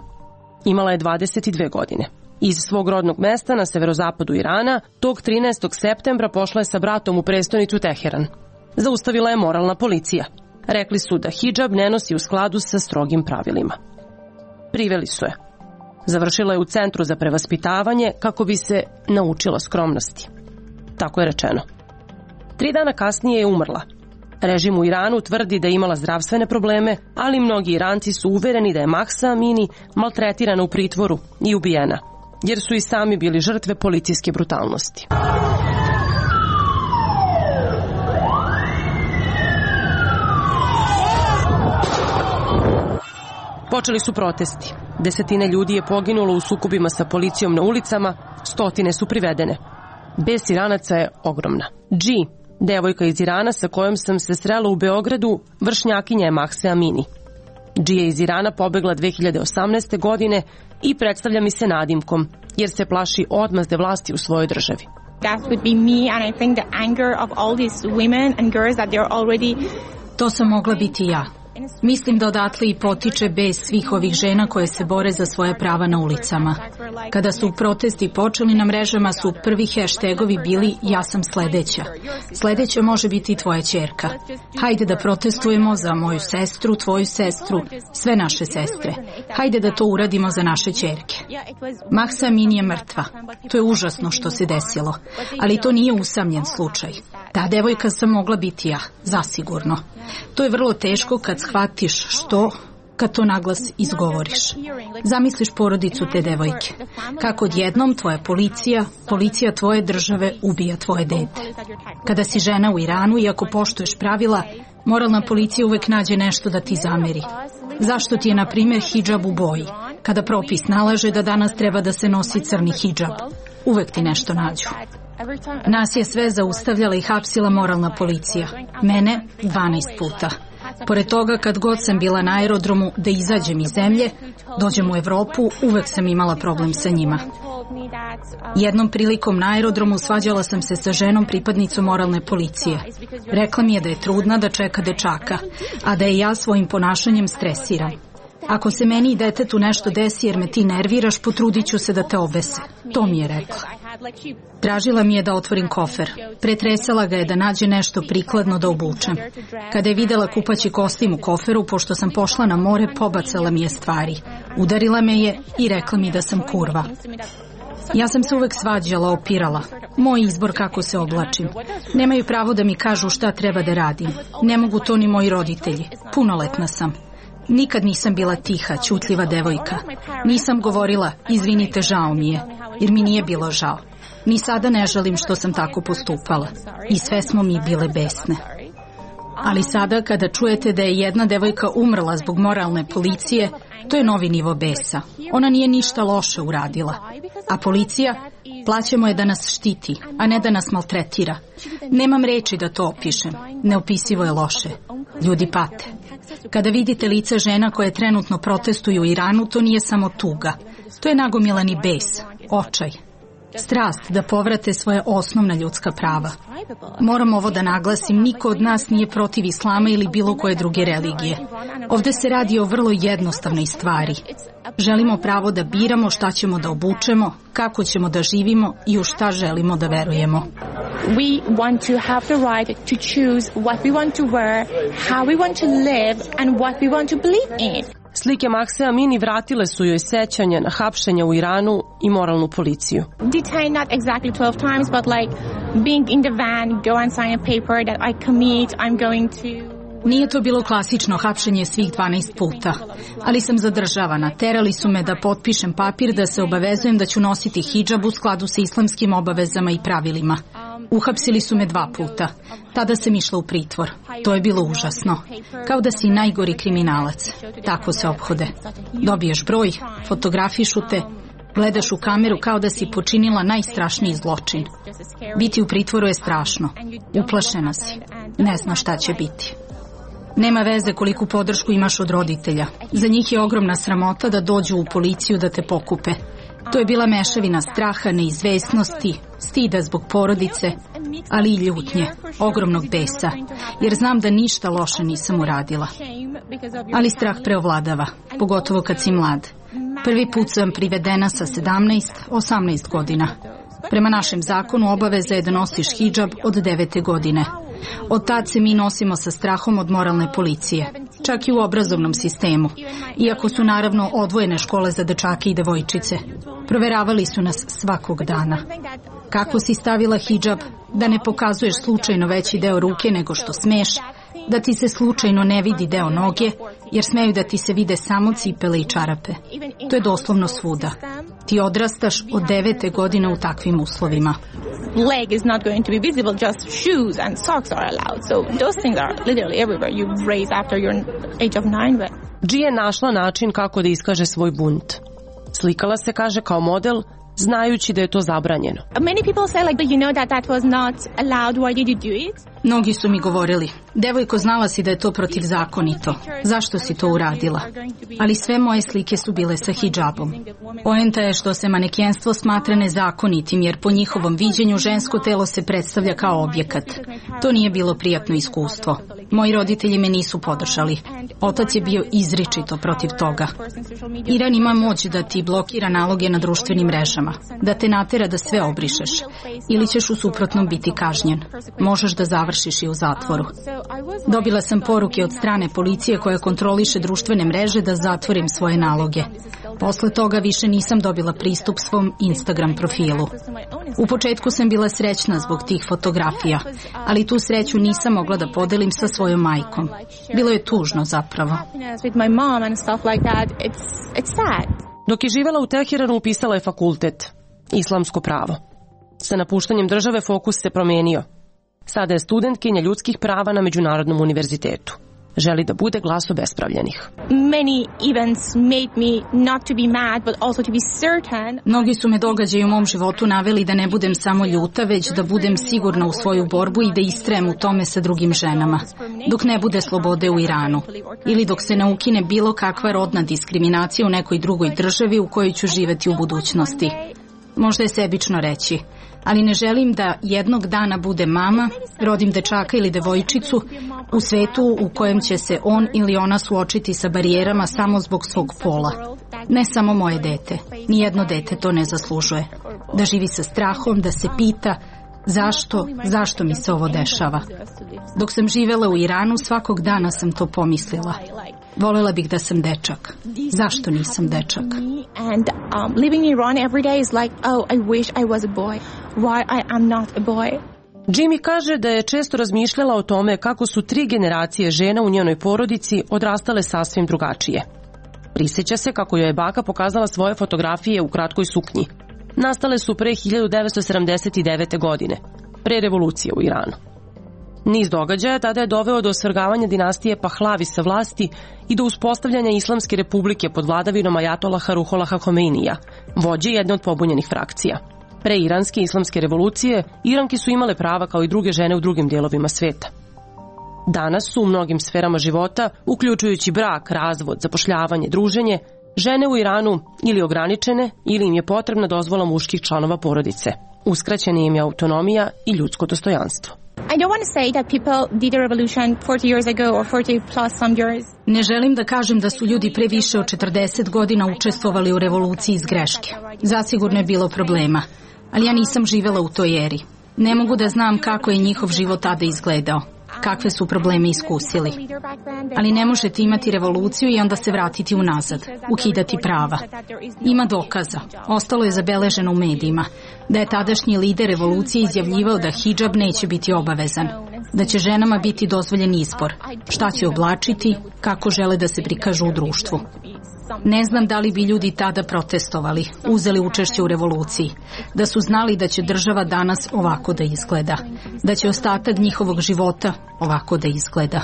Imala je 22 godine. Iz svog rodnog mesta na severozapadu Irana, tog 13. septembra pošla je sa bratom u prestonicu Teheran. Zaustavila je moralna policija. Rekli su da hidžab ne nosi u skladu sa strogim pravilima. Priveli su je. Završila je u centru za prevaspitavanje kako bi se naučila skromnosti. Tako je rečeno. 3 dana kasnije je umrla. Režim u Iranu tvrdi da je imala zdravstvene probleme, ali mnogi Iranci su uvereni da je Mahsa Amini maltretirana u pritvoru i ubijena, jer su i sami bili žrtve policijske brutalnosti. Počeli su protesti. Desetine ljudi je poginulo u sukobima sa policijom na ulicama, stotine su privedene. Bes Iranaca je ogromna. G, devojka iz Irana sa kojom sam se srela u Beogradu, vršnjakinja je Mahse Amini. G je iz Irana pobegla 2018. godine i predstavlja mi se nadimkom, jer se plaši odmazde vlasti u svojoj državi. To sam mogla biti ja. Mislim da odatle i potiče bes svih ovih žena koje se bore za svoje prava na ulicama. Kada su protesti počeli na mrežama su prvi hashtagovi bili ja sam sledeća. Sledeća može biti i tvoja ćerka. Hajde da protestujemo za moju sestru, tvoju sestru, sve naše sestre. Hajde da to uradimo za naše ćerke. Mahsa Amini je mrtva. To je užasno što se desilo. Ali to nije usamljen slučaj. Ta devojka sam mogla biti ja, zasigurno. To je vrlo teško kad shvatiš što, kad to naglas izgovoriš. Zamisliš porodicu te devojke. Kako odjednom tvoja policija tvoje države ubija tvoje dete. Kada si žena u Iranu, iako poštuješ pravila, moralna policija uvek nađe nešto da ti zameri. Zašto ti je, na primjer, hidžab u boji? Kada propis nalaže da danas treba da se nosi crni hidžab, uvek ti nešto nađu. Nas je sve zaustavljala i hapsila moralna policija. Mene 12 puta. Pored toga, kad god sam bila na aerodromu da izađem iz zemlje, dođem u Evropu, uvek sam imala problem sa njima. Jednom prilikom na aerodromu svađala sam se sa ženom pripadnicom moralne policije. Rekla mi je da je trudna, da čeka dečaka, a da je ja svojim ponašanjem stresiram. Ako se meni i detetu nešto desi jer me ti nerviraš, potrudit ću se da te obese. To mi je rekla. Tražila mi je da otvorim kofer. Pretresala ga je da nađe nešto prikladno da obučem. Kada je videla kupaći kostim u koferu, pošto sam pošla na more, pobacala mi je stvari. Udarila me je i rekla mi da sam kurva. Ja sam se uvek svađala, opirala. Moj izbor kako se oblačim. Nemaju pravo da mi kažu šta treba da radim. Ne mogu to ni moji roditelji. Punoletna sam. Nikad nisam bila tiha, ćutljiva devojka. Nisam govorila, izvinite, žao mi je, jer mi nije bilo žao. Ni sada ne žalim što sam tako postupala. I sve smo mi bile besne. Ali sada kada čujete da je jedna devojka umrla zbog moralne policije, to je novi nivo besa. Ona nije ništa loše uradila. A policija, plaćamo je da nas štiti, a ne da nas maltretira. Nemam reči da to opišem. Neopisivo je loše. Ljudi pate. Kada vidite lica žena koje trenutno protestuju u Iranu, to nije samo tuga. To je nagomilani bes, očaj. Strast da povrate svoje osnovna ljudska prava. Moram ovo da naglasim, niko od nas nije protiv islama ili bilo koje druge religije. Ovde se radi o vrlo jednostavnoj stvari. Želimo pravo da biramo šta ćemo da obučemo, kako ćemo da živimo i u šta želimo da verujemo. We want to have the right to choose what we want to wear, how we want to live and what we want to believe in. Slike Mahse Amini vratile su joj sećanja na hapšenja u Iranu i moralnu policiju. Detained not exactly 12 times, but like being in the van, go and sign a paper that I commit, I'm going to... Nije to bilo klasično hapšenje svih 12 puta, ali sam zadržavana. Terali su me da potpišem papir da se obavezujem da ću nositi hidžab u skladu sa islamskim obavezama i pravilima. Uhapsili su me 2 puta. Tada sam išla u pritvor. To je bilo užasno. Kao da si najgori kriminalac. Tako se ophode. Dobiješ broj, fotografišu te, gledaš u kameru kao da si počinila najstrašniji zločin. Biti u pritvoru je strašno. Uplašena si. Ne znaš šta će biti. Nema veze koliku podršku imaš od roditelja. Za njih je ogromna sramota da dođu u policiju da te pokupe. To je bila mešavina straha, neizvesnosti, stida zbog porodice, ali i ljutnje, ogromnog besa, jer znam da ništa loše nisam uradila. Ali strah preovladava, pogotovo kad si mlad. Prvi put sam privedena sa 17-18 godina. Prema našem zakonu obaveza je da nosiš hidžab od 9. godine. Od tad se mi nosimo sa strahom od moralne policije, čak i u obrazovnom sistemu, iako su naravno odvojene škole za dečake i devojčice. Proveravali su nas svakog dana. Kako si stavila hidžab, da ne pokazuješ slučajno veći deo ruke nego što smeš, da ti se slučajno ne vidi deo noge, jer smeju da ti se vide samo cipele i čarape. To je doslovno svuda. Ti odrastaš od 9. godine u takvim uslovima. Leg is not going to be visible, just shoes and socks are allowed. So those things are literally everywhere. You raise after your age of 9. Dži je našla način kako da iskaže svoj bunt. Slikala se, kaže, kao model, znajući da je to zabranjeno. Many people say like, you know that was not allowed, why did you do it? Mnogi su mi govorili, devojko, znala si da je to protivzakonito. Zašto si to uradila? Ali sve moje slike su bile sa hidžabom. Poenta je što se manekenstvo smatra nezakonitim, jer po njihovom viđenju žensko telo se predstavlja kao objekat. To nije bilo prijatno iskustvo. Moji roditelji me nisu podržali. Otac je bio izričito protiv toga. Iran ima moć da ti blokira naloge na društvenim mrežama, da te natera da sve obrišeš, ili ćeš u suprotnom biti kažnjen. Možeš da završiš i u zatvoru. Dobila sam poruke od strane policije koja kontroliše društvene mreže da zatvorim svoje naloge. Posle toga više nisam dobila pristup svom Instagram profilu. U početku sam bila srećna zbog tih fotografija, ali tu sreću nisam mogla da podelim sa svojom majkom. Bilo je tužno zapravo. Dok je živela u Teheranu, upisala je fakultet, islamsko pravo. Sa napuštanjem države fokus se promenio. Sada je studentkinja ljudskih prava na Međunarodnom univerzitetu. Želi da bude glas obespravljenih. Mnogi su me događaji u mom životu naveli da ne budem samo ljuta, već da budem sigurna u svoju borbu i da istrajem u tome sa drugim ženama. Dok ne bude slobode u Iranu. Ili dok se ne ukine bilo kakva rodna diskriminacija u nekoj drugoj državi u kojoj ću živeti u budućnosti. Možda je sebično reći, ali ne želim da jednog dana budem mama, rodim dečaka ili devojčicu u svetu u kojem će se on ili ona suočiti sa barijerama samo zbog svog pola. Ne samo moje dete, nijedno dete to ne zaslužuje. Da živi sa strahom, da se pita zašto mi se ovo dešava. Dok sam živela u Iranu, svakog dana sam to pomislila. Volela bih da sam dečak. Zašto nisam dečak? And living in Iran every day is like, oh, I wish I was a boy. Why I am not a boy? Jimmy kaže da je često razmišljala o tome kako su 3 generacije žena u njenoj porodici odrastale sasvim drugačije. Prisjeća se kako joj je baka pokazala svoje fotografije u kratkoj suknji. Nastale su pre 1979. godine, pre revolucije u Iranu. Niz događaja tada je doveo do osvrgavanja dinastije Pahlavi sa vlasti i do uspostavljanja Islamske republike pod vladavinom ajatolaha Ruholaha Homeinija, vođe jedne od pobunjenih frakcija. Pre iranske islamske revolucije, Iranke su imale prava kao i druge žene u drugim dijelovima sveta. Danas su u mnogim sferama života, uključujući brak, razvod, zapošljavanje, druženje, žene u Iranu ili ograničene ili im je potrebna dozvola muških članova porodice. Uskraćena im je autonomija i ljudsko dostojanstvo. I don't want to say that people did a revolution 40 years ago or 40 plus some years. Ne želim da kažem da su ljudi pre više od 40 godina učestvovali u revoluciji iz greške. Zasigurno je bilo problema, ali ja nisam živela u toj eri. Ne mogu da znam kako je njihov život tada izgledao, kakve su probleme iskusili. Ali ne možete imati revoluciju i onda se vratiti unazad, ukidati prava. Ima dokaza, ostalo je zabeleženo u medijima, da je tadašnji lider revolucije izjavljivao da hidžab neće biti obavezan, da će ženama biti dozvoljen izbor, šta će oblačiti, kako žele da se prikažu u društvu. Ne znam da li bi ljudi tada protestovali, uzeli učešće u revoluciji, da su znali da će država danas ovako da izgleda, da će ostatak njihovog života ovako da izgleda.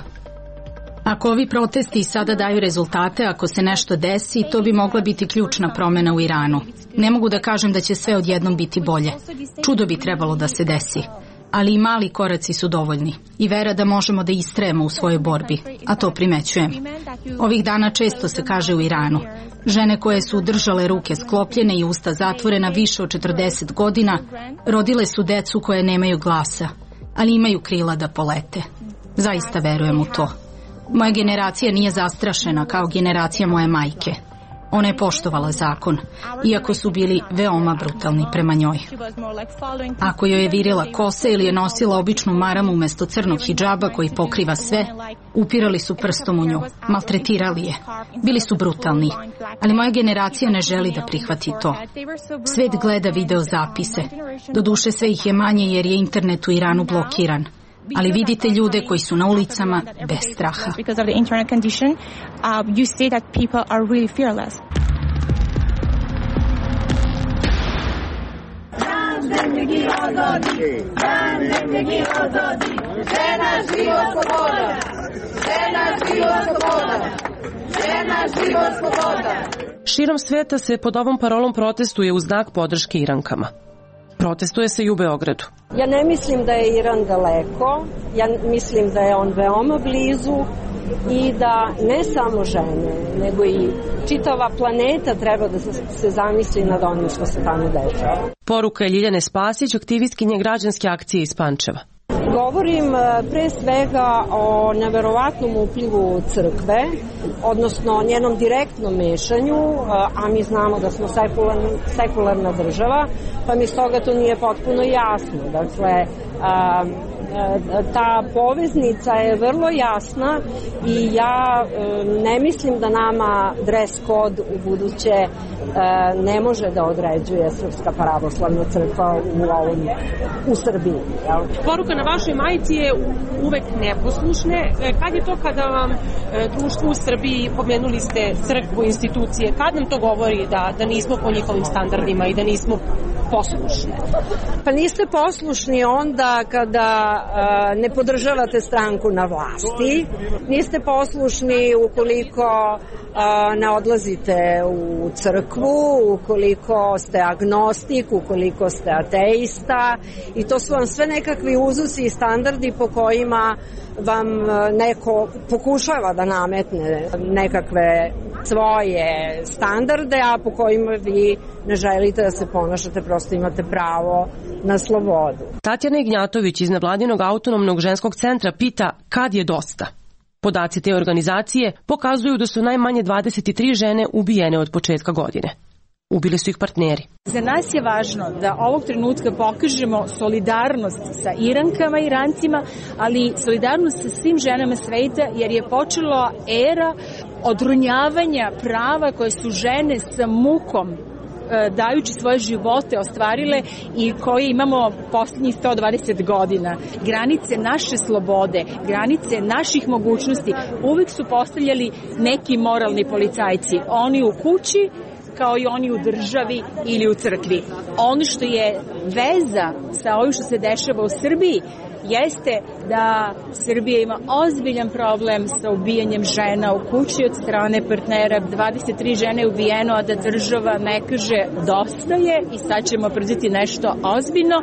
Ako ovi protesti sada daju rezultate, ako se nešto desi, to bi mogla biti ključna promjena u Iranu. Ne mogu da kažem da će sve odjednom biti bolje. Čudo bi trebalo da se desi. Ali i mali koraci su dovoljni i vera da možemo da istrajemo u svojoj borbi, a to primećujem. Ovih dana često se kaže u Iranu, žene koje su držale ruke sklopljene i usta zatvorena više od 40 godina, rodile su decu koje nemaju glasa, ali imaju krila da polete. Zaista verujem u to. Moja generacija nije zastrašena kao generacija moje majke. Ona je poštovala zakon, iako su bili veoma brutalni prema njoj. Ako joj je virila kosa ili je nosila običnu maramu umjesto crnog hidžaba koji pokriva sve, upirali su prstom u nju, maltretirali je. Bili su brutalni, ali moja generacija ne želi da prihvati to. Svet gleda video zapise. Doduše sve ih je manje jer je internet u Iranu blokiran. Ali vidite ljude koji su na ulicama bez straha. Širom sveta se pod ovom parolom protestuje u znak podrške Irankama. Protestuje se i u Beogradu. Ja ne mislim da je Iran daleko, ja mislim da je on veoma blizu i da ne samo žene, nego i čitava planeta treba da se zamisli nad onim što se tamo dešava. Poruka je Ljiljane Spasić, aktivistkinje građanske akcije iz Pančeva. Govorim pre svega o neverovatnom uplivu crkve, odnosno njenom direktnom mešanju, a mi znamo da smo sekularna država, pa mi stoga to nije potpuno jasno. Dakle, ta poveznica je vrlo jasna i ja ne mislim da nama dress code u buduće ne može da određuje Srpska pravoslavna crkva u Srbiji. Poruka na vašoj majici je uvek neposlušne. Kad je to kada vam društvo u Srbiji, pomenuli ste crkvu, institucije, kad nam to govori da nismo po njihovim standardima i da nismo poslušne? Pa niste poslušni onda kada ne podržavate stranku na vlasti, niste poslušni ukoliko ne odlazite u crkvu, ukoliko ste agnostik, ukoliko ste ateista, i to su vam sve nekakvi uzusi i standardi po kojima vam neko pokušava da nametne nekakve svoje standarde, a po kojima vi ne želite da se ponašate, prosto imate pravo na slobodu. Tatjana Ignjatović iz nevladinog autonomnog ženskog centra pita kad je dosta. Podaci te organizacije pokazuju da su najmanje 23 žene ubijene od početka godine. Ubili su ih partneri. Za nas je važno da ovog trenutka pokažemo solidarnost sa Irankama i Irancima, ali solidarnost sa svim ženama sveta, jer je počela era odronjavanja prava koje su žene sa mukom dajući svoje živote ostvarile i koje imamo posljednjih 120 godina. Granice naše slobode, granice naših mogućnosti uvijek su postavljali neki moralni policajci. Oni u kući kao i oni u državi ili u crkvi. Ono što je veza sa ovim što se dešava u Srbiji jeste da Srbija ima ozbiljan problem sa ubijanjem žena u kući od strane partnera. 23 žene je ubijeno, a da država ne kaže dosta je i sad ćemo preduzeti nešto ozbiljno.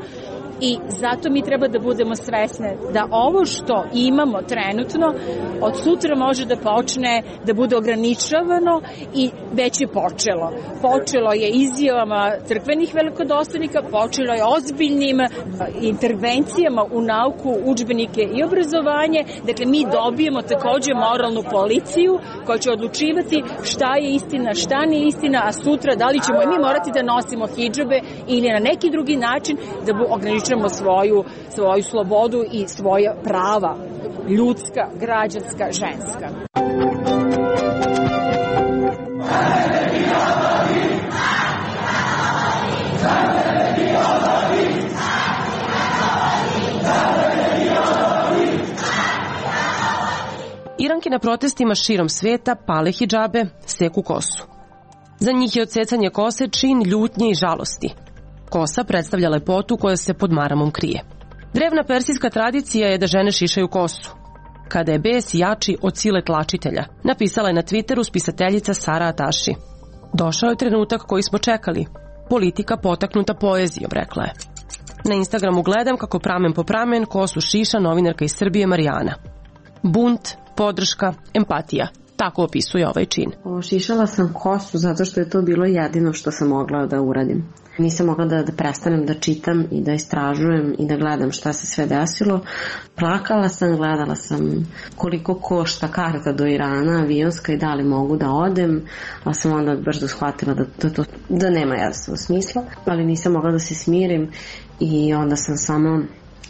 I zato mi treba da budemo svesne da ovo što imamo trenutno od sutra može da počne da bude ograničavano i već je počelo. Počelo je izjavama crkvenih velikodostojnika, počelo je ozbiljnim intervencijama u nauku, udžbenike i obrazovanje. Dakle, mi dobijemo takođe moralnu policiju koja će odlučivati šta je istina, šta nije istina, a sutra da li ćemo i mi morati da nosimo hidžabe ili na neki drugi način da ograničavamo svoju slobodu i svoja prava, ljudska, građanska, ženska. Iranke na protestima širom sveta pale hidžabe, seku kosu. Za njih je odsecanje kose čin ljutnje i žalosti. Kosa predstavlja lepotu koja se pod maramom krije. Drevna persijska tradicija je da žene šišaju kosu. Kada je bes jači od sile tlačitelja, napisala je na Twitteru spisateljica Sara Ataši. Došao je trenutak koji smo čekali. Politika potaknuta poezijom, rekla je. Na Instagramu gledam kako pramen po pramen kosu šiša novinarka iz Srbije Marijana. Bunt, podrška, empatija. Tako opisuje ovaj čin. Šišala sam kosu zato što je to bilo jedino što sam mogla da uradim. Nisam mogla da prestanem da čitam i da istražujem i da gledam šta se sve desilo. Plakala sam, gledala sam koliko košta karta do Irana, avionska i da li mogu da odem, ali sam onda brzo shvatila da nema jasno smisla, ali nisam mogla da se smirim i onda sam samo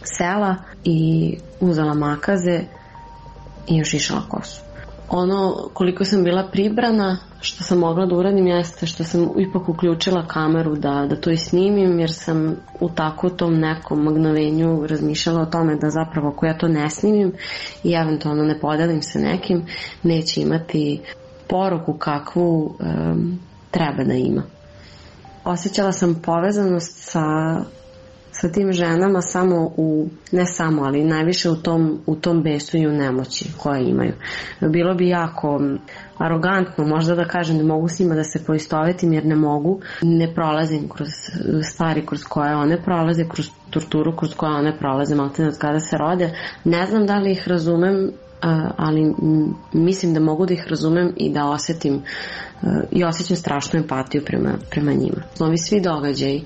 sela i uzela makaze i ošišala kosu. Ono koliko sam bila pribrana, što sam mogla da uradim jeste što sam ipak uključila kameru da to i snimim, jer sam u tako tom nekom mgnovenju razmišljala o tome da zapravo ako ja to ne snimim i eventualno ne podelim sa nekim, neće imati poruku kakvu treba da ima. Osjećala sam povezanost sa tim ženama ali najviše u tom besu i u nemoći koje imaju. Bilo bi jako arogantno možda da kažem da mogu s njima da se poistovetim jer ne mogu. Ne prolazim kroz stvari kroz koje one prolaze, kroz torturu kroz koje one prolaze maltene od kada se rode. Ne znam da li ih razumem, ali mislim da mogu da ih razumem i da osjetim i osjećam strašnu empatiju prema njima. Ovi svi događaji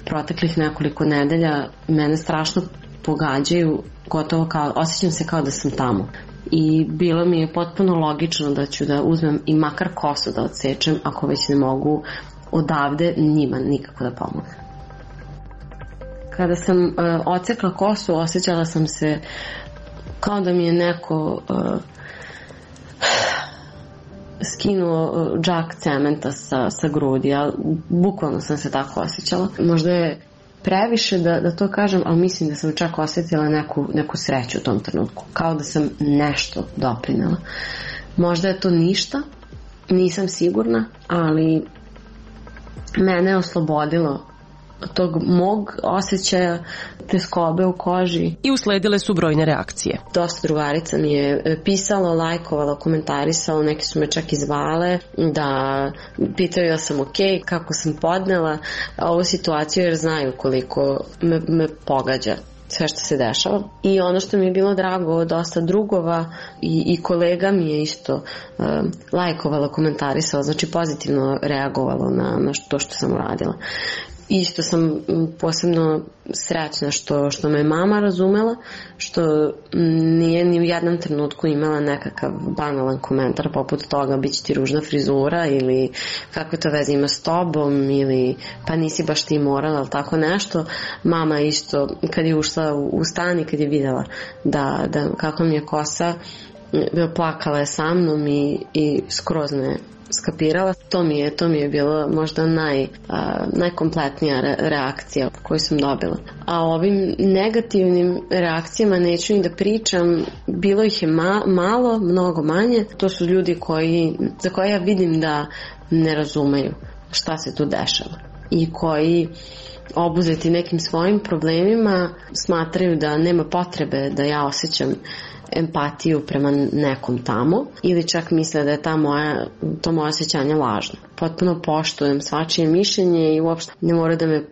proteklih nekoliko nedelja mene strašno pogađaju, gotovo osjećam se kao da sam tamo. I bilo mi je potpuno logično da ću da uzmem i makar kosu da odsečem, ako već ne mogu odavde njima nikako da pomognem. Kada sam odsekla kosu, osjećala sam se kao da mi je neko skinuo džak cementa sa grudi, ali bukvalno sam se tako osjećala. Možda je previše da to kažem, ali mislim da sam čak osjetila neku sreću u tom trenutku. Kao da sam nešto doprinela. Možda je to ništa, nisam sigurna, ali mene je oslobodilo tog mog osjećaja teskobe u koži. I usledile su brojne reakcije. Dosta drugarica mi je pisalo, lajkovalo, komentarisalo, neki su me čak i zvale da pitaju da sam okej, kako sam podnela ovu situaciju jer znaju koliko me pogađa sve što se dešava. I ono što mi je bilo drago, dosta drugova i kolega mi je isto lajkovalo, komentarisalo, znači pozitivno reagovalo na to što sam uradila. Isto sam posebno srećna što me mama razumela, što nije ni u jednom trenutku imala nekakav banalan komentar poput toga bit će ti ružna frizura ili kakve to veze ima s tobom ili pa nisi baš ti morala ili tako nešto. Mama isto kad je ušla u stan i kad je videla da kako mi je kosa plakala je sa mnom i skroz me skapirala. To mi je bila možda najkompletnija reakcija koju sam dobila. A o ovim negativnim reakcijama neću ni da pričam, bilo ih je malo, mnogo manje. To su ljudi za koje ja vidim da ne razumeju šta se tu dešava i koji obuzeti nekim svojim problemima smatraju da nema potrebe da ja osjećam empatiju prema nekom tamo ili čak misle da je to moje osjećanje lažno. Potpuno poštujem svačije mišljenje i uopšte ne mora da me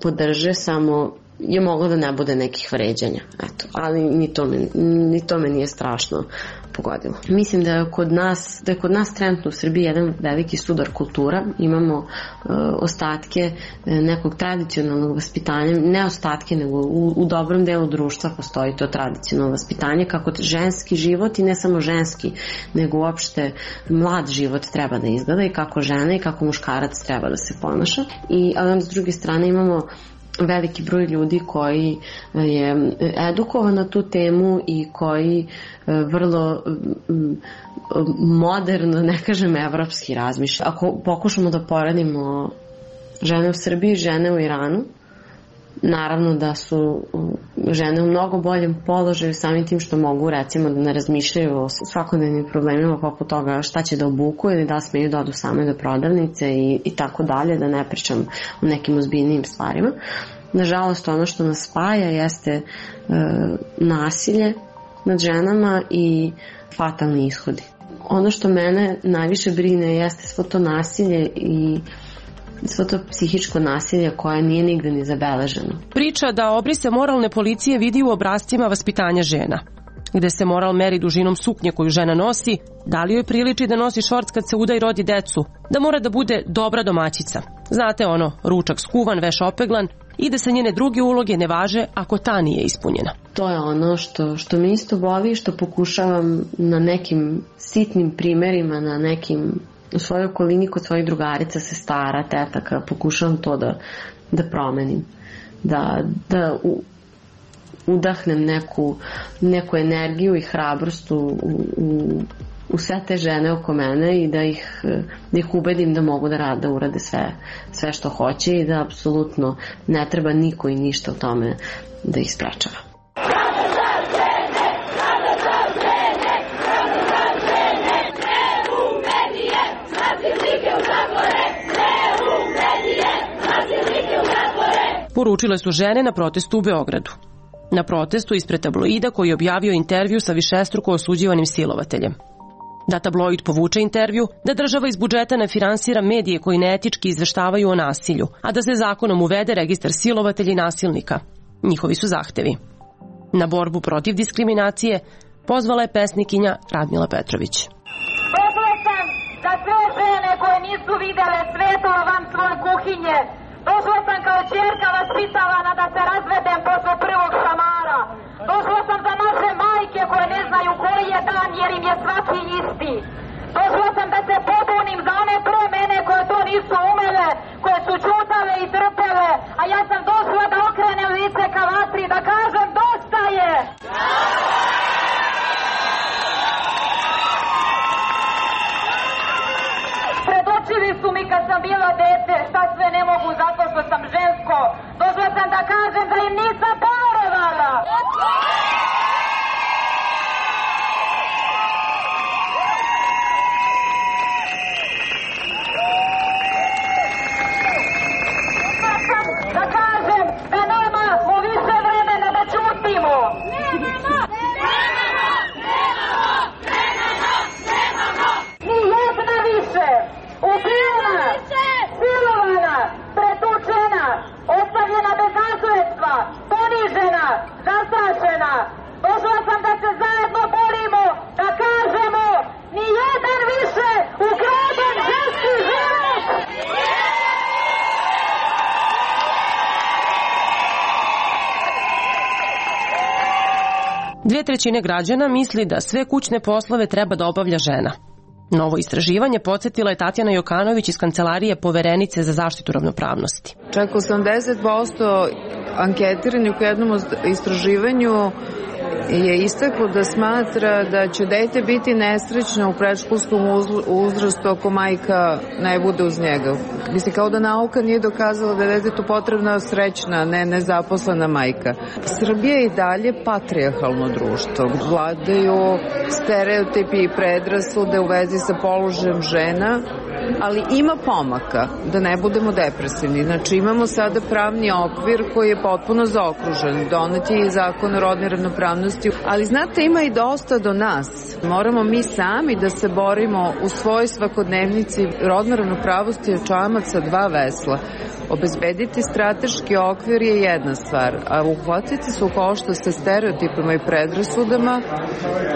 podrže, samo je moglo da ne bude nekih vređanja. Eto, ali ni to me nije strašno pogodilo. Mislim da je kod nas trenutno u Srbiji jedan veliki sudar kultura. Imamo ostatke nekog tradicionalnog vaspitanja, ne ostatke, nego u dobrom delu društva postoji to tradicionalno vaspitanje, kako ženski život i ne samo ženski, nego uopšte mlad život treba da izgleda i kako žena i kako muškarac treba da se ponaša. Ali onda s druge strane imamo veliki broj ljudi koji je edukovan na tu temu i koji vrlo moderno, ne kažem evropski, razmišlja. Ako pokušamo da poredimo žene u Srbiji i žene u Iranu, naravno da su žene u mnogo boljem položaju samim tim što mogu recimo da ne razmišljaju o svakodnevnim problemima poput toga šta će da obuku ili da smeju da odu same do prodavnice i tako dalje, da ne pričam o nekim ozbiljnijim stvarima. Nažalost, ono što nas spaja jeste nasilje nad ženama i fatalni ishodi. Ono što mene najviše brine jeste svo to nasilje i svo to psihičko nasilje koje nije nigde ni zabeleženo. Priča da obrise moralne policije vidi u obrascima vaspitanja žena, gde se moral meri dužinom suknje koju žena nosi, da li joj priliči da nosi šorc kad se uda i rodi decu, da mora da bude dobra domaćica. Znate ono, ručak skuvan, veš opeglan i da se njene druge uloge ne važe ako ta nije ispunjena. To je ono što me isto boli, što pokušavam na nekim sitnim primerima, na nekim u svojoj okolini kod svojih drugarica, sestara, tetaka, pokušavam to da promenim. Da udahnem neku energiju i hrabrost u sve te žene oko mene i da ih ubedim da mogu da urade sve što hoće i da apsolutno ne treba niko i ništa u tome da ih sprečava. Poručile su žene na protestu u Beogradu. Na protestu ispred tabloida koji je objavio intervju sa višestruko osuđivanim silovateljem. Da tabloid povuče intervju, da država iz budžeta ne finansira medije koji neetički izveštavaju o nasilju, a da se zakonom uvede registar silovatelja i nasilnika. Njihovi su zahtevi. Na borbu protiv diskriminacije pozvala je pesnikinja Radmila Petrović. Došla sam da sve žene koje nisu videle svetlo van svoje kuhinje. Došla sam kao ćerka vaspitavana da se razvedem posle prvog šamara. Došla sam za naše majke koje ne znaju koji je dan jer im je svaki isti. Došla sam da se pobunim za one pre mene koje to nisu umele, koje su čutale i trpele, a ja sam došla da okrenem lice ka vatri, da kažem dosta je! Predočili su mi kad sam bila dete šta sve ne mogu zato što sam žensko. Došla sam da kažem da im nisam poverovala. Da kažem da nemamo više vremena da ćutimo. Ni jedna više. Ubijena, silovana, pretučena, ostavljena bez nasledstva, ponižena, zastrašena. Došla sam da se zajedno borimo, da kažemo ni jedan više ukraden ženski život! 2/3 građana misli da sve kućne poslove treba da obavlja žena. Novo istraživanje podsjetila je Tatjana Jokanović iz Kancelarije Poverenice za zaštitu ravnopravnosti. Čak 80% anketiranih u jednom istraživanju je istaklo da smatra da će dete biti nesrećno u predškolskom uzrastu ako majka ne bude uz njega. Mislim, kao da nauka nije dokazala da je detetu potrebna srećna, ne nezaposlena majka. Srbija je i dalje patrijarhalno društvo. Vladaju stereotipi i predrasude u vezi sa položajem žena, ali ima pomaka, da ne budemo depresivni. Znači, imamo sada pravni okvir koji je potpuno zaokružen. Donet je i zakon o rodnoj ravnopravnosti, ali znate, ima i dosta do nas. Moramo mi sami da se borimo u svojoj svakodnevnici. Rodna ravnopravnost je čamac sa dva vesla. Obezbediti strateški okvir je jedna stvar, a uhvatiti se u koštac sa stereotipima i predrasudama,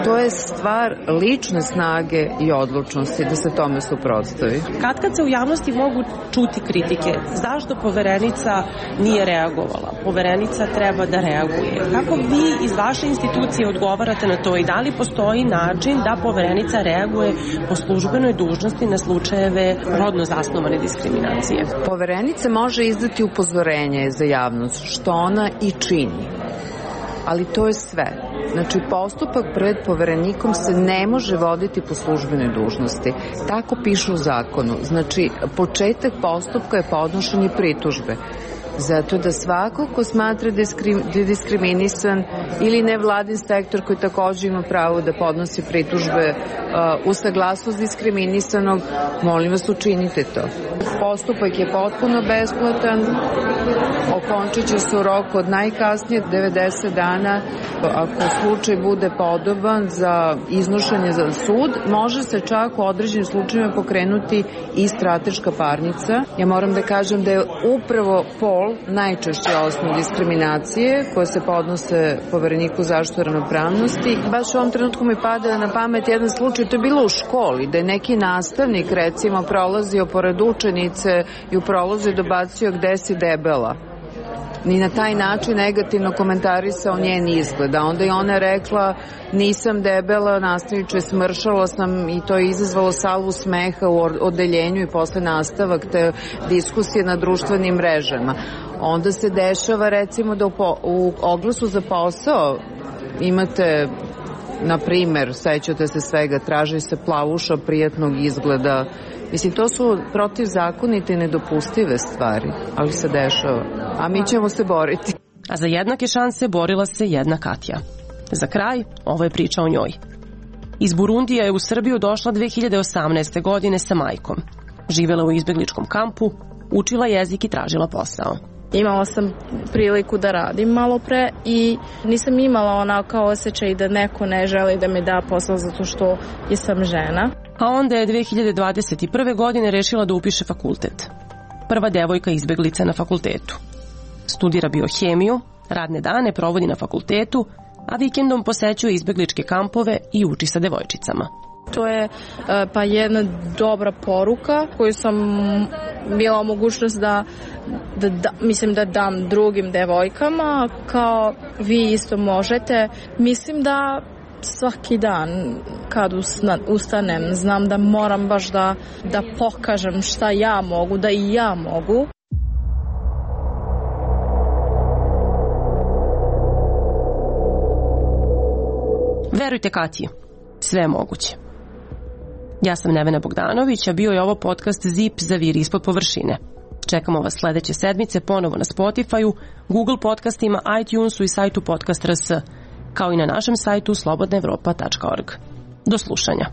to je stvar lične snage i odlučnosti da se tome suprotstavi. Kad se u javnosti mogu čuti kritike, zašto Poverenica nije reagovala? Poverenica treba da reaguje. Kako vi iz vaše institucije odgovarate na to i da li postoji način da Poverenica reaguje po službenoj dužnosti na slučajeve rodno zasnovane diskriminacije? Poverenica može izdati upozorenje za javnost, što ona i čini. Ali to je sve. Znači, postupak pred Poverenikom se ne može voditi po službenoj dužnosti. Tako piše u zakonu. Znači, početak postupka je podnošenje pritužbe. Zato da svako ko smatra da je diskriminisan ili nevladin sektor koji takođe ima pravo da podnosi pritužbe u saglasnost diskriminisanog, molim vas, učinite to. Postupak je potpuno besplatan, okončit će se u roku od najkasnije 90 dana. Ako slučaj bude podoban za iznošenje za sud, može se čak u određenim slučajima pokrenuti i strateška parnica. Ja moram da kažem da je upravo pol najčešće osnov diskriminacije koje se podnose Povereniku zaštite ravnopravnosti. Baš u ovom trenutku mi pada na pamet jedan slučaj, to je bilo u školi, da je neki nastavnik recimo prolazio pored učenice i u prolazu je dobacio gde si debela. Ni na taj način negativno komentarisao njen izgled. A onda je ona rekla nisam debela, nastavniče, smršala sam i to je izazvalo salvu smeha u odeljenju i posle nastavak te diskusije na društvenim mrežama. Onda se dešava recimo da u oglasu za posao imate, na primer, sećate se svega, traži se plavuša prijatnog izgleda. Mislim, to su protivzakonite i nedopustive stvari, ali se dešava. A mi ćemo se boriti. A za jednake šanse borila se jedna Katja. Za kraj, ovo je priča o njoj. Iz Burundija je u Srbiju došla 2018. godine sa majkom. Živela u izbegličkom kampu, učila jezik i tražila posao. Imala sam priliku da radim malo pre i nisam imala onako osjećaj da neko ne želi da mi da posao zato što sam žena. A onda je 2021. godine rešila da upiše fakultet. Prva devojka izbeglica na fakultetu. Studira biohemiju, radne dane provodi na fakultetu, a vikendom posećuje izbegličke kampove i uči sa devojčicama. To je pa jedna dobra poruka koju sam bila mogućnost da dam drugim devojkama, kao vi isto možete. Mislim da svaki dan kad ustanem znam da moram baš da pokažem šta ja mogu, da i ja mogu. Verujte Katji, sve je moguće. Ja sam Nevena Bogdanović, a bio je ovo podcast Zip zaviri ispod površine. Čekamo vas sledeće sedmice ponovo na Spotify-u, Google podcastima, iTunesu i sajtu Podcast.rs, kao i na našem sajtu slobodnaevropa.org. Do slušanja.